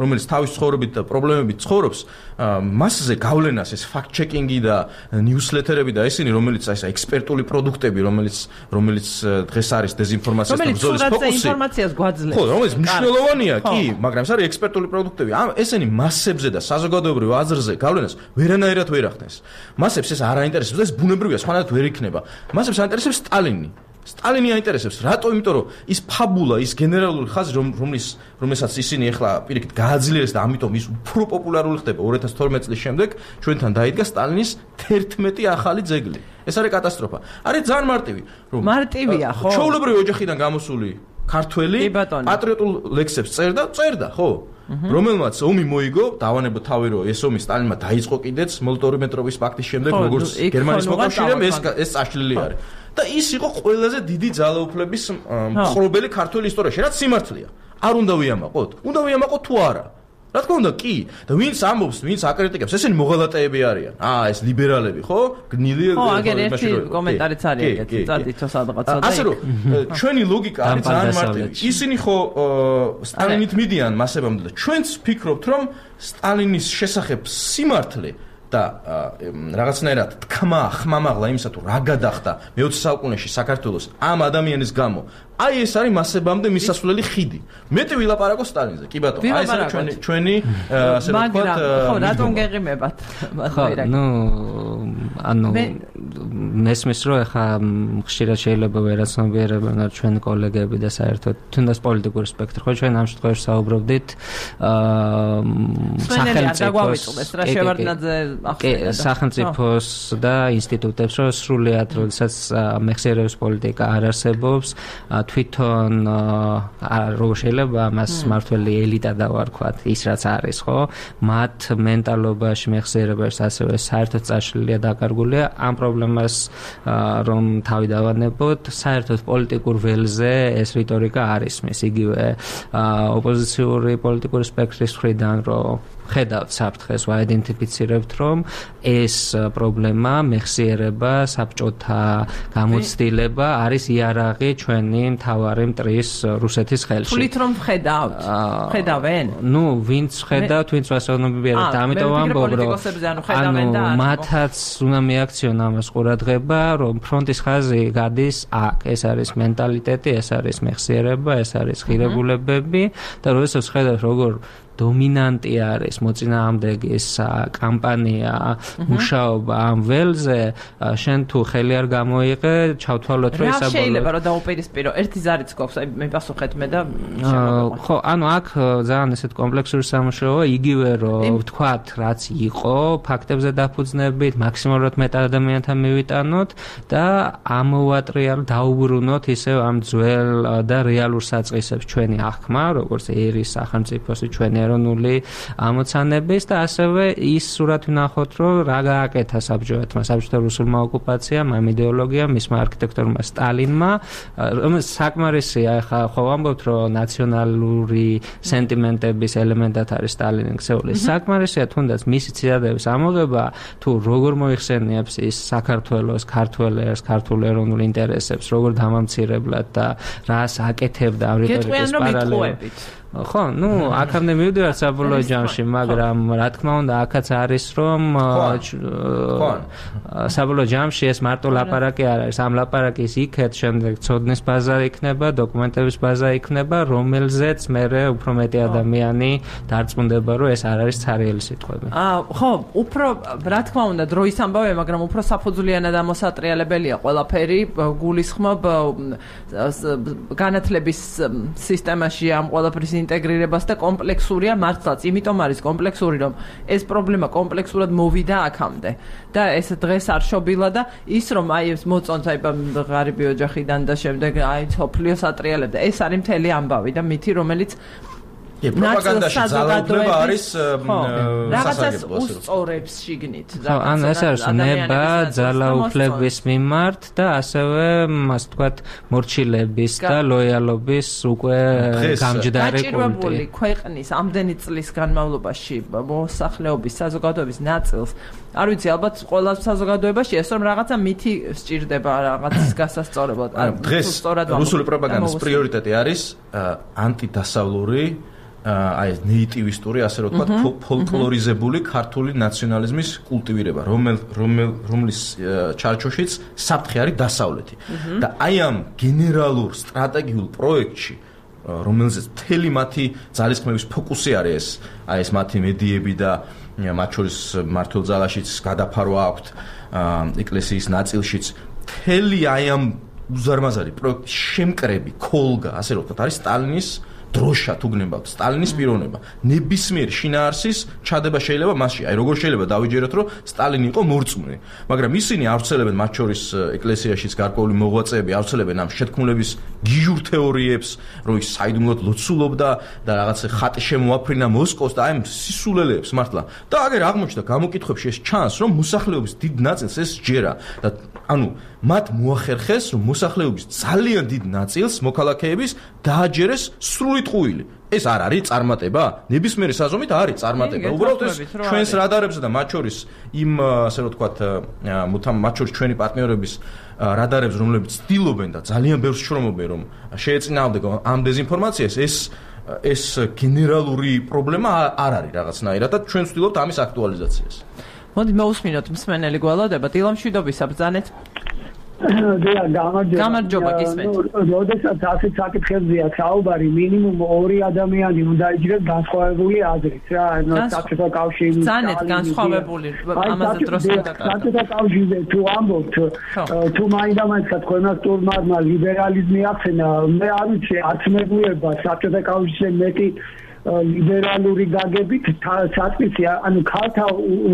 რომელიც თავის ცხოვრებით და პრობლემებით ცხოვრობს, მასზე გავლენას ეს ფაქტ-ჩეკინგი და ნიუსლეტერები და ესენი, რომელიც აი ეს ექსპერტული პროდუქტები, რომელიც დღეს არის დეзинფორმაციას და ბრძოლის ფოკუსი. ინფორმაციას გვაძლევს. ხო, რომელიც მნიშვნელოვანია, კი, მაგრამ ეს არის ექსპერტული პროდუქტები. ესენი მასებზე და საზოგადოებრივ აზრზე გავლენას ვერანაირად ვერ ახდენს. მასებს ეს არ აინტერესებს და ეს ბუნებრივია, სხვანაირად ვერ იქნება. მასებს აინტერესებს სტალინი. სტალინი აინტერესებს. რატო? იმიტომ რომ ის ფაბულა, ის გენერალური ხაზი, რომელსაც ისინი ახლა პირიქით გააძლიერეს და ამიტომ ის უფრო პოპულარული ხდება 2012 წლის შემდეგ, ჩვენთან დაიდგა სტალინის 11 ახალი ძეგლი. ეს არის კატასტროფა. არის ძალიან მარტივი, რომ მარტივია, ხო? ჩვეულებრივი ოჯახიდან გამოსული ქართველი პატრიოტულ ლექსებს წერდა, ხო? რომელმაც ომი მოიგო, დავანებო თავი რომ ეს ომი სტალინმა დაიწყო კიდეც მოლოტოვ-რიბენტროპის პაქტის შემდეგ, როგორც გერმანიის მოკავშირემ ეს წაშლილი არის. და ის იყო ყველაზე დიდი ძალაუფლების მხრობელი ქართული ისტორიაში, რაც სიმართლეა. არ უნდა ვიამაყოთ? უნდა ვიამაყოთ თუ არა? რა თქმა უნდა, კი. და ვინც ამბობს, ვინც აკრიტიკებს, ესენი მოღალატეები არიან. ეს ლიბერალები, ხო? გნილი ხო, აგერ ერთი კომენტარიც არის ეგეთი, წადითო სადღაცა და ასე რომ ჩვენი ლოგიკა არის ძალიან მარტივი. ისინი ხო სტალინით მიდიან მასებამდე და ჩვენც ვფიქრობთ, რომ სტალინის შესახებ სიმართლე და რაღაცნაირად თქმა ხმამაღლა იმისა თუ რა გადახდა მე-20 საუკუნეში საქართველოს ამ ადამიანის გამო აი ეს არის მასებამდე მისასვლელი ხიდი. მეტი ვილაპარაკო სტალინზე. კი ბატონო, აი ეს არის ჩვენი ასე რომ ვთქვათ, ხო, რატომ გეღიმებათ? ხო, ანუ მესმის რომ ახლა ხშირად შეიძლება ვერაცნობიერებენ ჩვენი კოლეგები და საერთოდ თუნდაც პოლიტიკური სპექტრი, ხო, ჩვენ ამ შემთხვევაში საუბრობდით სახელმწიფოს და ინსტიტუტებს, რომ სრულიად როდესაც მეხსიერების პოლიტიკა არ არსებობს, თვითონ როგორ შეიძლება მას მართველი ელიტა დავარქვათ, ის რაც არის, ხო? მათ მენტალობაში, მეხსიერებაში ასევე საერთოდ წაშლილია დაკარგულია ამ პრობლემას რომ თავი დავანებოთ, საერთოდ პოლიტიკურ ველზე ეს რიტორიკა არ ისმის, იგივე ოპოზიციური პოლიტიკური სპექტრის მხრიდან, რომ ხედავთ საფრთხეს, ვაიდენტიფიცირებთ, რომ ეს პრობლემა, მეხსიერება, საბჭოთა გამოცდილება არის იარაღი ჩვენი მთავარი მტრის რუსეთის ხელში. თulit რომ ხედავთ? ხედავენ? ნუ ვინც ხედავთ, ვინც ვასაუბრობთ, ამიტომ ამბობ, რომ მათაც უნდა მიაქციონ ამას ყურადღება, რომ ფრონტის ხაზი გადის აქ. ეს არის მენტალიტეტი, ეს არის მეხსიერება, ეს არის ღირებულებები და როდესაც ხედავთ, როგორ დომინანტი არის მოწინააღმდეგის კამპანია, მუშაობა ამ ველზე, შენ თუ ხელი არ გამოიღე, ჩავთვალოთ, რომ ესაბოლოო. რა შეიძლება რომ დაუპირისპირო? ერთი ზარიც გვაქვს, აი მე პასუხეთ მე და ხო, ანუ აქ ძალიან ესეთ კომპლექსური სამუშაოა, იგივე რომ ვთქვათ, რაც იყო, ფაქტებზე დაფუძნებით, მაქსიმალურად მეტად ადამიანთან მივიტანოთ და ამოვატრიალოთ, დაუბრუნოთ ისევ ამ ძველ და რეალურ საწყისებს ჩვენი აღქმა, როგორც ერის სახელმწიფოს ჩვენი ეროვნული ამოცანების და ასევე ის სურათი ვნახოთ, რომ რა გააკეთა საბჭოთმა რუსულმა ოკუპაციამ, ამ იდეოლოგიამ, მისმა არქიტექტორმა სტალინმა, რომელიც საკმარისია, ახლა ხო ვამბობთ, რომ ნაციონალური სენტიმენტების ელემენტად არის სტალინის ქცეული. საკმარისია თუნდაც მისი ცირადების ამოღება, თუ როგორ მოიხსენიებს ის საქართველოს, ქართველებს, ქართულ ეროვნულ ინტერესებს, როგორ დამამცირებლად და რას აკეთებდა ამ რიტორიკის პარალელურად. ხო, ნუ აქამდე მივდივართ საბოლოო ჯამში, მაგრამ რა თქმა უნდა, აქაც არის რომ საბოლოო ჯამში ეს მარტო ლაპარაკი არ არის, ამ ლაპარაკის იქეთ შემდეგ ცოდნის ბაზა იქნება, დოკუმენტების ბაზა იქნება, რომელზეც მერე უფრო მეტი ადამიანი დარწმუნდება, რომ ეს არ არის ცარიელი სიტყვები. ხო, უფრო რა თქმა უნდა, დროის ამბავია, მაგრამ უფრო საფუძვლიანად ამოსატრიალებელია ყველაფერი, გულისხმობ განათლების სისტემაში ამ ყველაფრის ინტეგრირებას და კომპლექსურია მართლაც, იმიტომ არის კომპლექსური, რომ ეს პრობლემა კომპლექსურად მოვიდა აქამდე და ეს დღეს არ შობილა და ის რომ აი ეს მოწონთ აი ღარიბი ოჯახიდან და შემდეგ აი სოფლიოს ატრიალებდა, ეს არის მთელი ამბავი და მითი, რომელიც პროპაგანდაში ძალაუფლება არის რაღაცას უსწორებს შიგნით. ან ეს არის ნება ძალაუფლების მიმართ და ასევე მას თქვათ მორჩილების და ლოიალობის უკვე გამჯდარი კულტი. გაჭირვებული ქვეყნის ამდენი წლის განმავლობაში მოსახლეობის საზოგადოების ნაწილს არ ვიცი, ალბათ ყველა საზოგადოებაში ეს რომ რაღაცა მითი სჭირდება რაღაცის გასასწორებლად. დღეს რუსული პროპაგანდის პრიორიტეტი არის ანტიდასავლური აი ეს ნეიტივისტური, ასე რომ ვთქვათ, ფოლკლორიზებული ქართული ნაციონალიზმის კულტივირება, რომლის ჩარჩოშიც საფრთხე არის დასავლეთი. და აი ამ გენერალურ სტრატეგიულ პროექტში, რომელზეც მთელი მათი ძალისხმევის ფოკუსი არის აი ეს მათი მედიები და მათ შორის მართლ ძალაშიც გადაფარვა აქვთ ეკლესიის ნაწილშიც, მთელი აი ამ უზარმაზარი პროექტის შემკრები, ქოლგა, ასე რომ ვთქვათ, არის სტალინის დროშა თუ გნებავთ, სტალინის პიროვნება. ნებისმიერ შინაარსის ჩადება შეიძლება მასში. აი როგორ შეიძლება დავიჯეროთ, რომ სტალინი იყო მორწმუნე, მაგრამ ისინი ავრცელებენ მათ შორის ეკლესიაშიც გარკვეული მოღვაწეები ავრცელებენ ამ შეთქმულების გიჟურ თეორიებს, რომ ის საიდუმლოდ ლოცულობდა და რაღაც ხატი შემოაფრინა მოსკოვს და აი ამ სისულელეებს მართლა. და აგერ აღმოჩნდა გამოკითხვებში ეს ჩანს, რომ მოსახლეობის დიდ ნაწილს ეს ჯერა და ანუ მათ მოახერხეს, რომ მოსახლეობის ძალიან დიდ ნაწილს მოქალაქეების დააჯერეს სრული ტყუილი. ეს არ არის წარმატება? ნებისმიერი საზომით არის წარმატება. უბრალოდ ეს ჩვენს რადარებზე და მათ შორის იმ ასე რომ ვთქვათ, მათ შორის ჩვენი პარტნიორების რადარებს, რომლებიც ცდილობენ და ძალიან ბევრს შრომობენ, რომ შეეწინააღმდეგონ ამ დეზინფორმაციას, ეს გენერალური პრობლემა არ არის რაღაცნაირად და ჩვენ ვცდილობთ ამის აქტუალიზაციას. მოდი მოვუსმინოთ მსმენელი გველოდება, დილამშვიდობისა ბრძანეთ. გამარჯობა გისმენთ. როდესაც ასეთ საკითხებზეა საუბარი, მინიმუმ 2 ადამიანი უნდა იჯდეს განსხვავებული აზრით რა, ანუ საბჭოთა კავშირის ძალიან განსხვავებული ამაზე დროს საბჭოთა კავშირზე თუ ამბობთ, თუ მაინდა-მაინც თქვენას თურმარმა ლიბერალიზმი ახსენა, მე არ ვიცი, არც მეგუება საბჭოთა კავშირზე მეტი ლიბერალური გაგებით საწყისია, ანუ ქალთა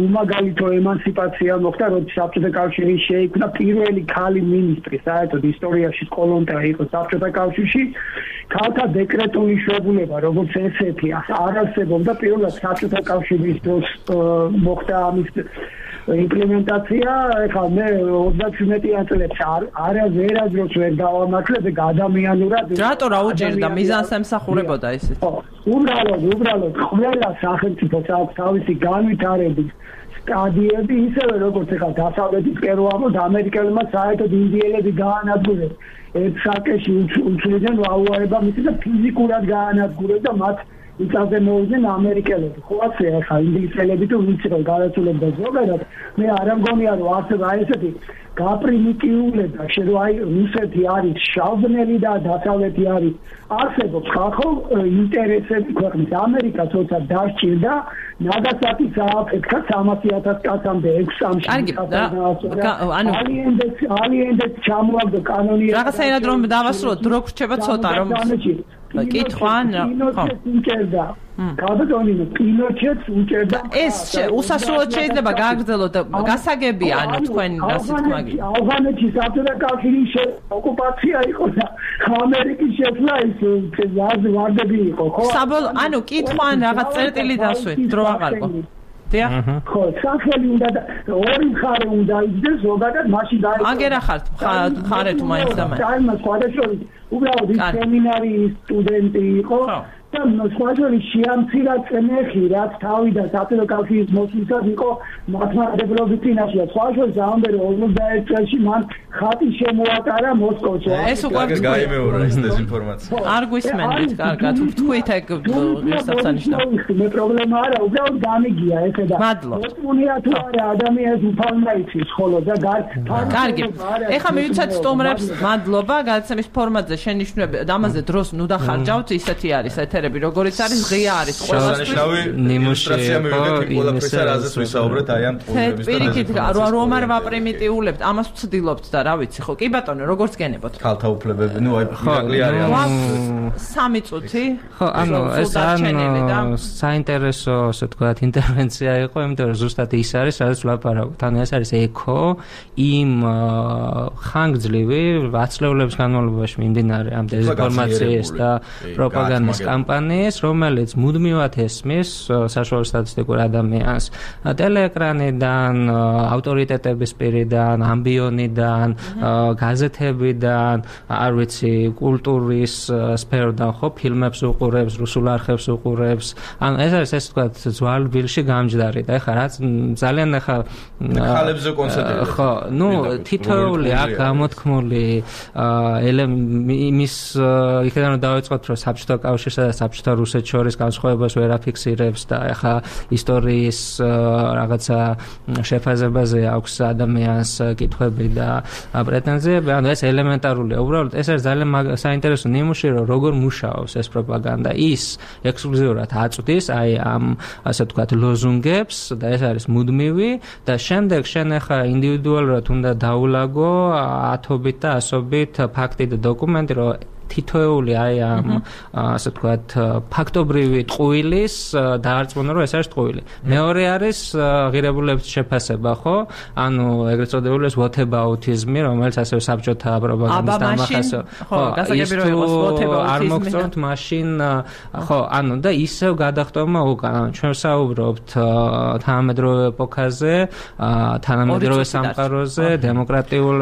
უმაგალითო ემანციპაცია მოხდა, როდის საბჭოთა კავშირი შეიქმნა, პირველი ქალი მინისტრი საერთოდ ისტორიაში კოლონტა იყო საბჭოთა კავშირში, ქალთა დეკრეტული შვებულება, როგორც ესეთი არ არსებობდა, პირველად საბჭოთა კავშირის დროს მოხდა ამის იმპლემენტაცია ეხლა მე 37 წლებში ვერასდროს ვერ დავამართლებ ადამიანურად. რატო რა უჭირდა მიზანს ემსახურებოდა ისეთ? უბრალოდ ყველა სახელმწიფოს აქვს თავისი განვითარების სტადიები, ისევე როგორც ეხლა დასავლეთისკენ რო ამბობთ, ამერიკელებმა საერთოდ ინდიელები გაანადგურეს ერთ საკეში უცვლიდან ვაუარება მისი და ფიზიკურად გაანადგურეს და მათ იწაზე მოვიდნენ ამერიკელები. ხო ასე ახლა ინგლისელები თუ ვიცი რომ გადაწულებდა ზოგადად, მე არ მგონია რომ ასე ესეთი გაპრიმიტიულება შეიძლება აი რუსეთი არის შავბნელი და დასავლეთი არის არსებობს ხალხო ინტერესები ქვეყნის ამერიკა თორსა დასჭირდა ნაგასაკის აფეთქა 300,000 კაცამდე 6 წამში. ანუ ალიენდეც ჩამოაგდო კანონი რაღაცაირად რომ დავასრულოთ დრო გრჩება ცოტა რომ კითხვა უჭერდა. კაბატონინო პინოჩეტს უჭერდა. ეს უსასრულოდ შეიძლება გააგრძელოთ გასაგებია ანუ თქვენ რასი თქმა გინდა. ავღანეთში საბჭოთა კავშირის ოკუპაცია იყო და ამერიკის შეცვლა ის ვარდები იყო ხო? ანუ კითხვა ან რაღაც წერტილი დასვეთ დრო აღარკო. დიახ. ხო, სახელი უნდა და ორი მხარე უნდა იძდეს ზოგადად მაშინ დაიწყო. აგერა ხართ მხარე თუ მაინც და მაინც. აი მას სხვადასხვა უბრალოდ ის სემინარიის სტუდენტი იყო. და სხვადასხვა შეამცირა წნეხი რაც თავიდან საბჭოთა კავშირის მოსვლისას იყო მართლმადიდებლობის წინაშე. სხვადასხვა ამბე რომ 51 წელს მან ხატი შემოატარა მოსკოვში. ეს უკვე გაიმეორა ის დეზინფორმაცია. არ გვისმენთ, კარგად. თქვით ეგ ღირსშესანიშნავი. მე პრობლემა არა, უბრალოდ გამიგია ესე და მოწმუნეა თუ არა ადამიანს უფალმა იცის ხოლო და კარგი. ეხლა მივიცეთ სტუმრებს მადლობა გადაცემის ფორმატზე შენიშვნები და ამაზე დროს ნუ დახარჯავთ ისეთი არის ეთერები როგორიც არის ღია არის ყველასთვის ნიმუშია მივიდეთ ყველაფერს რაზეც ვისაუბრეთ აი ამ ტყუილების და პირიქით რომ არ ვაპრიმიტიულებთ ამას ვცდილობთ და რა ვიცი ხო კი ბატონო როგორც გენებოთ ქალთა უფლებები ნუ აი მირაკლი არის 3 წუთი ხო ანუ ეს საინტერესო ასე ვთქვათ ინტერვენცია იყო იმიტომ რომ ზუსტად ის არის სადაც ვლაპარაკობთ ანუ ეს არის ეკო იმ ხანგრძლივი ათწლეულების განმავლობაში მიმდინარე ამ დეзинფორმაციის და პროპაგანდის კამპანიის რომელიც მუდმივად ესმის საშუალო სტატისტიკურ ადამიანს ტელეეკრანიდან ავტორიტეტების პირიდან ამბიონიდან გაზეთებიდან არ ვიცი კულტურის სფეროდან ხო ფილმებს უყურებს რუსულ არხებს უყურებს ანუ ეს არის ესე ვთქვათ ძვალბილში გამჯდარი და ეხლა რაც ძალიან ეხლა ხალებზე კონცენტრირება ხო ნუ თითოეული აქ გამოთქმული იმის იქიდან რომ დავიწყოთ რომ საბჭოთა კავშირსა და საბჭოთა რუსეთს შორის განსხვავებას ვერ აფიქსირებს და ეხლა ისტორიის რაღაცა შეფასებაზე აქვს ადამიანს კითხვები და პრეტენზიები ანუ ეს ელემენტარულია უბრალოდ ეს არის ძალიან საინტერესო ნიმუში რომ როგორ მუშაობს ეს პროპაგანდა ის ექსკლუზიურად აწვდის აი ამ ასე ვთქვათ ლოზუნგებს და ეს არის მუდმივი და შემდეგ შენ ახლა ინდივიდუალურად უნდა დაულაგო ათობით და ასობით ფაქტი და დოკუმენტი რომ თითოეული აი ამ ასე ვთქვათ ფაქტობრივი ტყუილის დაარწმუნა რომ ეს არის ტყუილი. მეორე არის ღირებულების შეფასება, ხო? ანუ ეგრეთ წოდებული ეს whataboutism-ი, რომელიც ასევე საბჭოთა პროპაგანდის დამახასო. ხო, გასაგები რომ იყოს whataboutism-ი. არ მოგწონთ მაშინ ხო, ანუ და ისევ გადახტომა უკან. ჩვენ ვსაუბრობთ თანამედროვე ეპოქაზე, თანამედროვე სამყაროზე, დემოკრატიულ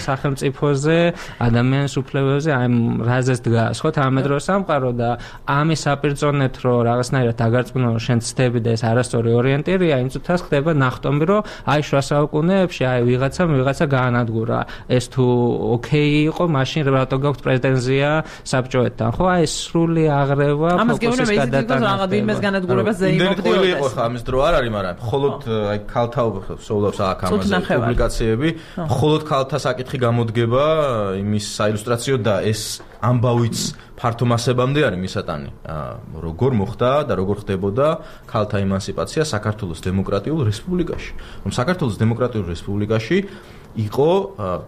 სახელმწიფოზე, ადამიანის უფლებებზე, აი რაზეც დგას ხო თანამედროვე სამყარო და ამის საპირწონეთ რომ რაღაცნაირად დაგარწმუნო რომ შენ ცდები და ეს არასწორი ორიენტირია იმ წუთას ხდება ნახტომი რომ აი შუა საუკუნეებში აი ვიღაცა გაანადგურა ეს თუ ოკეი იყო მაშინ რატო გაქვთ პრეტენზია საბჭოეთთან ხო აი სრული აღრევა ფოკუსის გადატანა რაღაც ვინმეს განადგურებაზე იმობდიოდა იყო ხა ამის დრო არ არის მაგრამ მხოლოდ აი ქალთა სოულობს აქ ამაზე პუბლიკაციები მხოლოდ ქალთა საკითხი გამოდგება იმის საილუსტრაციო და ეს ამბავიც ფართო მასებამდე არის მისატანი როგორ მოხდა და როგორ ხდებოდა ქალთა ემანსიპაცია საქართველოს დემოკრატიულ რესპუბლიკაში რომ საქართველოს დემოკრატიულ რესპუბლიკაში იყო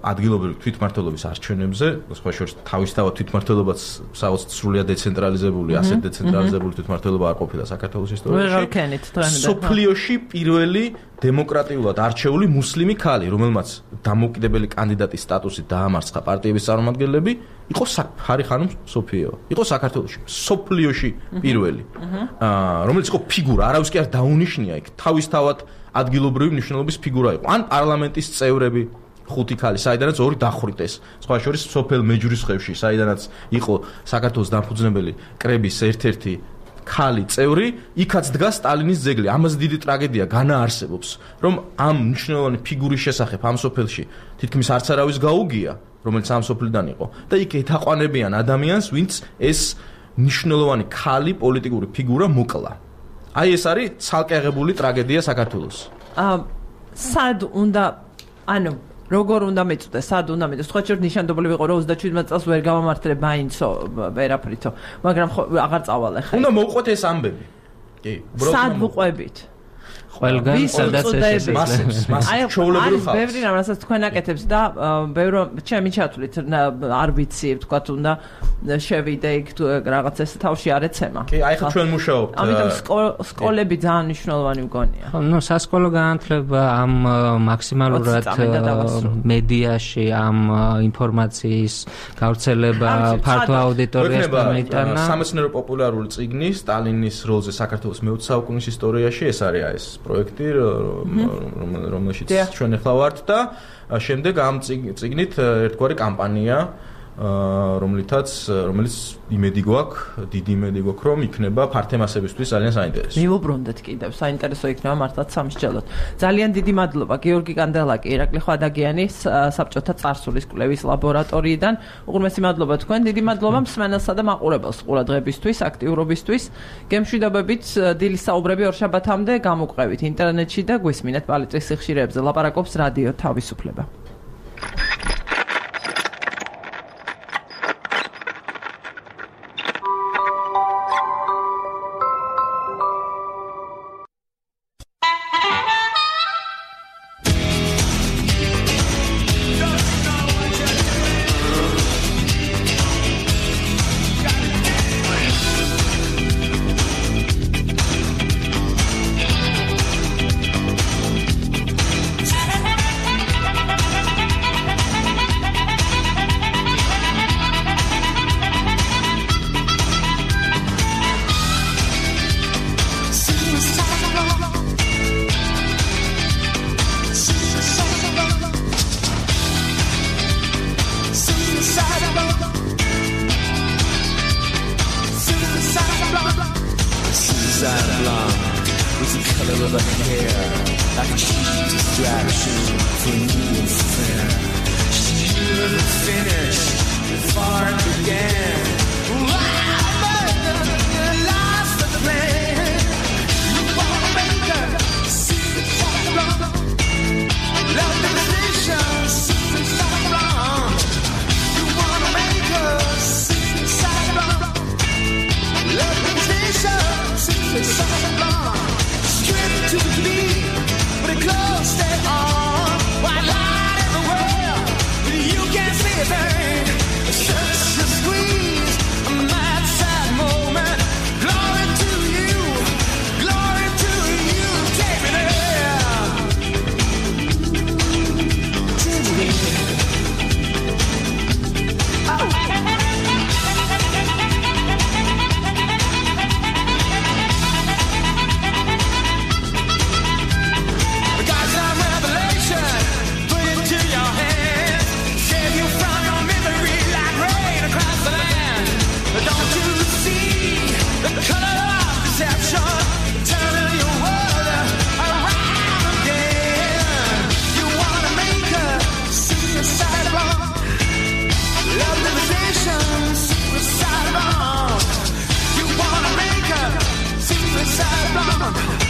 ადგილობრივი თვითმმართველობის არჩევნებზე სხვა შორის თავისთავად თვითმმართველობაც საოცრად სრულიად დეცენტრალიზებული ასეთ დეცენტრალიზებული თვითმმართველობა არ ყოფილა საქართველოს ისტორიაში სოფლიოში პირველი დემოკრატიულად არჩეული მუსლიმი ქალი რომელმაც დამოუკიდებელი კანდიდატის სტატუსით დაამარცხა პარტიების წარმომადგენლები იყო ფარი ხანუმ სოფიევა იყო საქართველოში სოფლიოში პირველი რომელიც იყო ფიგურა არავის კი არ დაუნიშნია იქ თავისთავად ადგილობრივი მნიშვნელობის ფიგურა იყო. ან პარლამენტის წევრები 5 ქალი, საიდანაც 2 დახვრიტეს. სხვა შორის სოფელ მეჯურის ხევში, საიდანაც იყო საქართველოს დამფუძნებელი კრების ერთ-ერთი ქალი წევრი, იქაც დგას სტალინის ძეგლი. ამაზე დიდი ტრაგედია განაარსებობს, რომ ამ მნიშვნელოვანი ფიგურის შესახებ ამ სოფელში თითქმის არც არავის გაუგია, რომელიც ამ სოფლიდან იყო და იქ ეთაყვანებიან ადამიანს, ვინც ეს მნიშვნელოვანი ქალი პოლიტიკური ფიგურა მოკლა. აი ეს არის ცალკე აღებული ტრაგედია საქართველოს. სად უნდა ანუ როგორ უნდა მეწუდეს, სად უნდა მეწუდეს. სხვა შორის ნიშანდობლივ იყო რომ 37 წელს ვერ გამამართლე მაინცო ვერაფრითო, მაგრამ აღარ წავალე ხა. უნდა მოვყვეთ ეს ამბები. კი, უბრალოდ სად ვყვებით? ყველგან სადაც ეს ჩაოლებრივ ხალხს. ბევრი რამ რასაც თქვენ აკეთებს და ბევრი ჩემი ჩათვლით არ ვიცი, თქვათ უნდა შევიდე იქ რაღაც ეს თავში არ ეცემა. კი, აი ხა ჩვენ მუშაობთ. ამიტომ სკოლები ძალიან მნიშვნელოვანი მგონია. ნუ სასკოლო განათლება ამ მაქსიმალურად მედიაში ამ ინფორმაციის გავრცელება ფართო აუდიტორიასთან მიიტანა. სამეცნიერო პოპულარული წიგნი სტალინის როლზე საქართველოს მე-20 საუკუნის ისტორიაში ეს არის ეს პროექტი, რომელშიც ჩვენ ახლა ვართ და შემდეგ ამ წიგნით ერთგვარი კამპანია, რომელიც იმედი გვაქვს, დიდი იმედი გვაქვს, რომ იქნება ფართემასებისთვის ძალიან საინტერესო. მივუბრუნდეთ კიდევ, საინტერესო იქნება მართლაც სამსჯელოდ. ძალიან დიდი მადლობა გიორგი კანდელაკი, ირაკლი ხვადაგიანი საბჭოთა წარსულის კვლევის ლაბორატორიიდან. უღრმესი მადლობა თქვენ, დიდი მადლობა მსმენელსა და მაყურებელს ყურადღებისთვის, აქტიურობისთვის. გემშვიდობებით დილის საუბრები ორშაბათამდე გამოგვყევით ინტერნეტში და გვისმინეთ პალიტრის სიხშირეებზე. ლაპარაკობს რადიო თავისუფლება. Suicide bomb.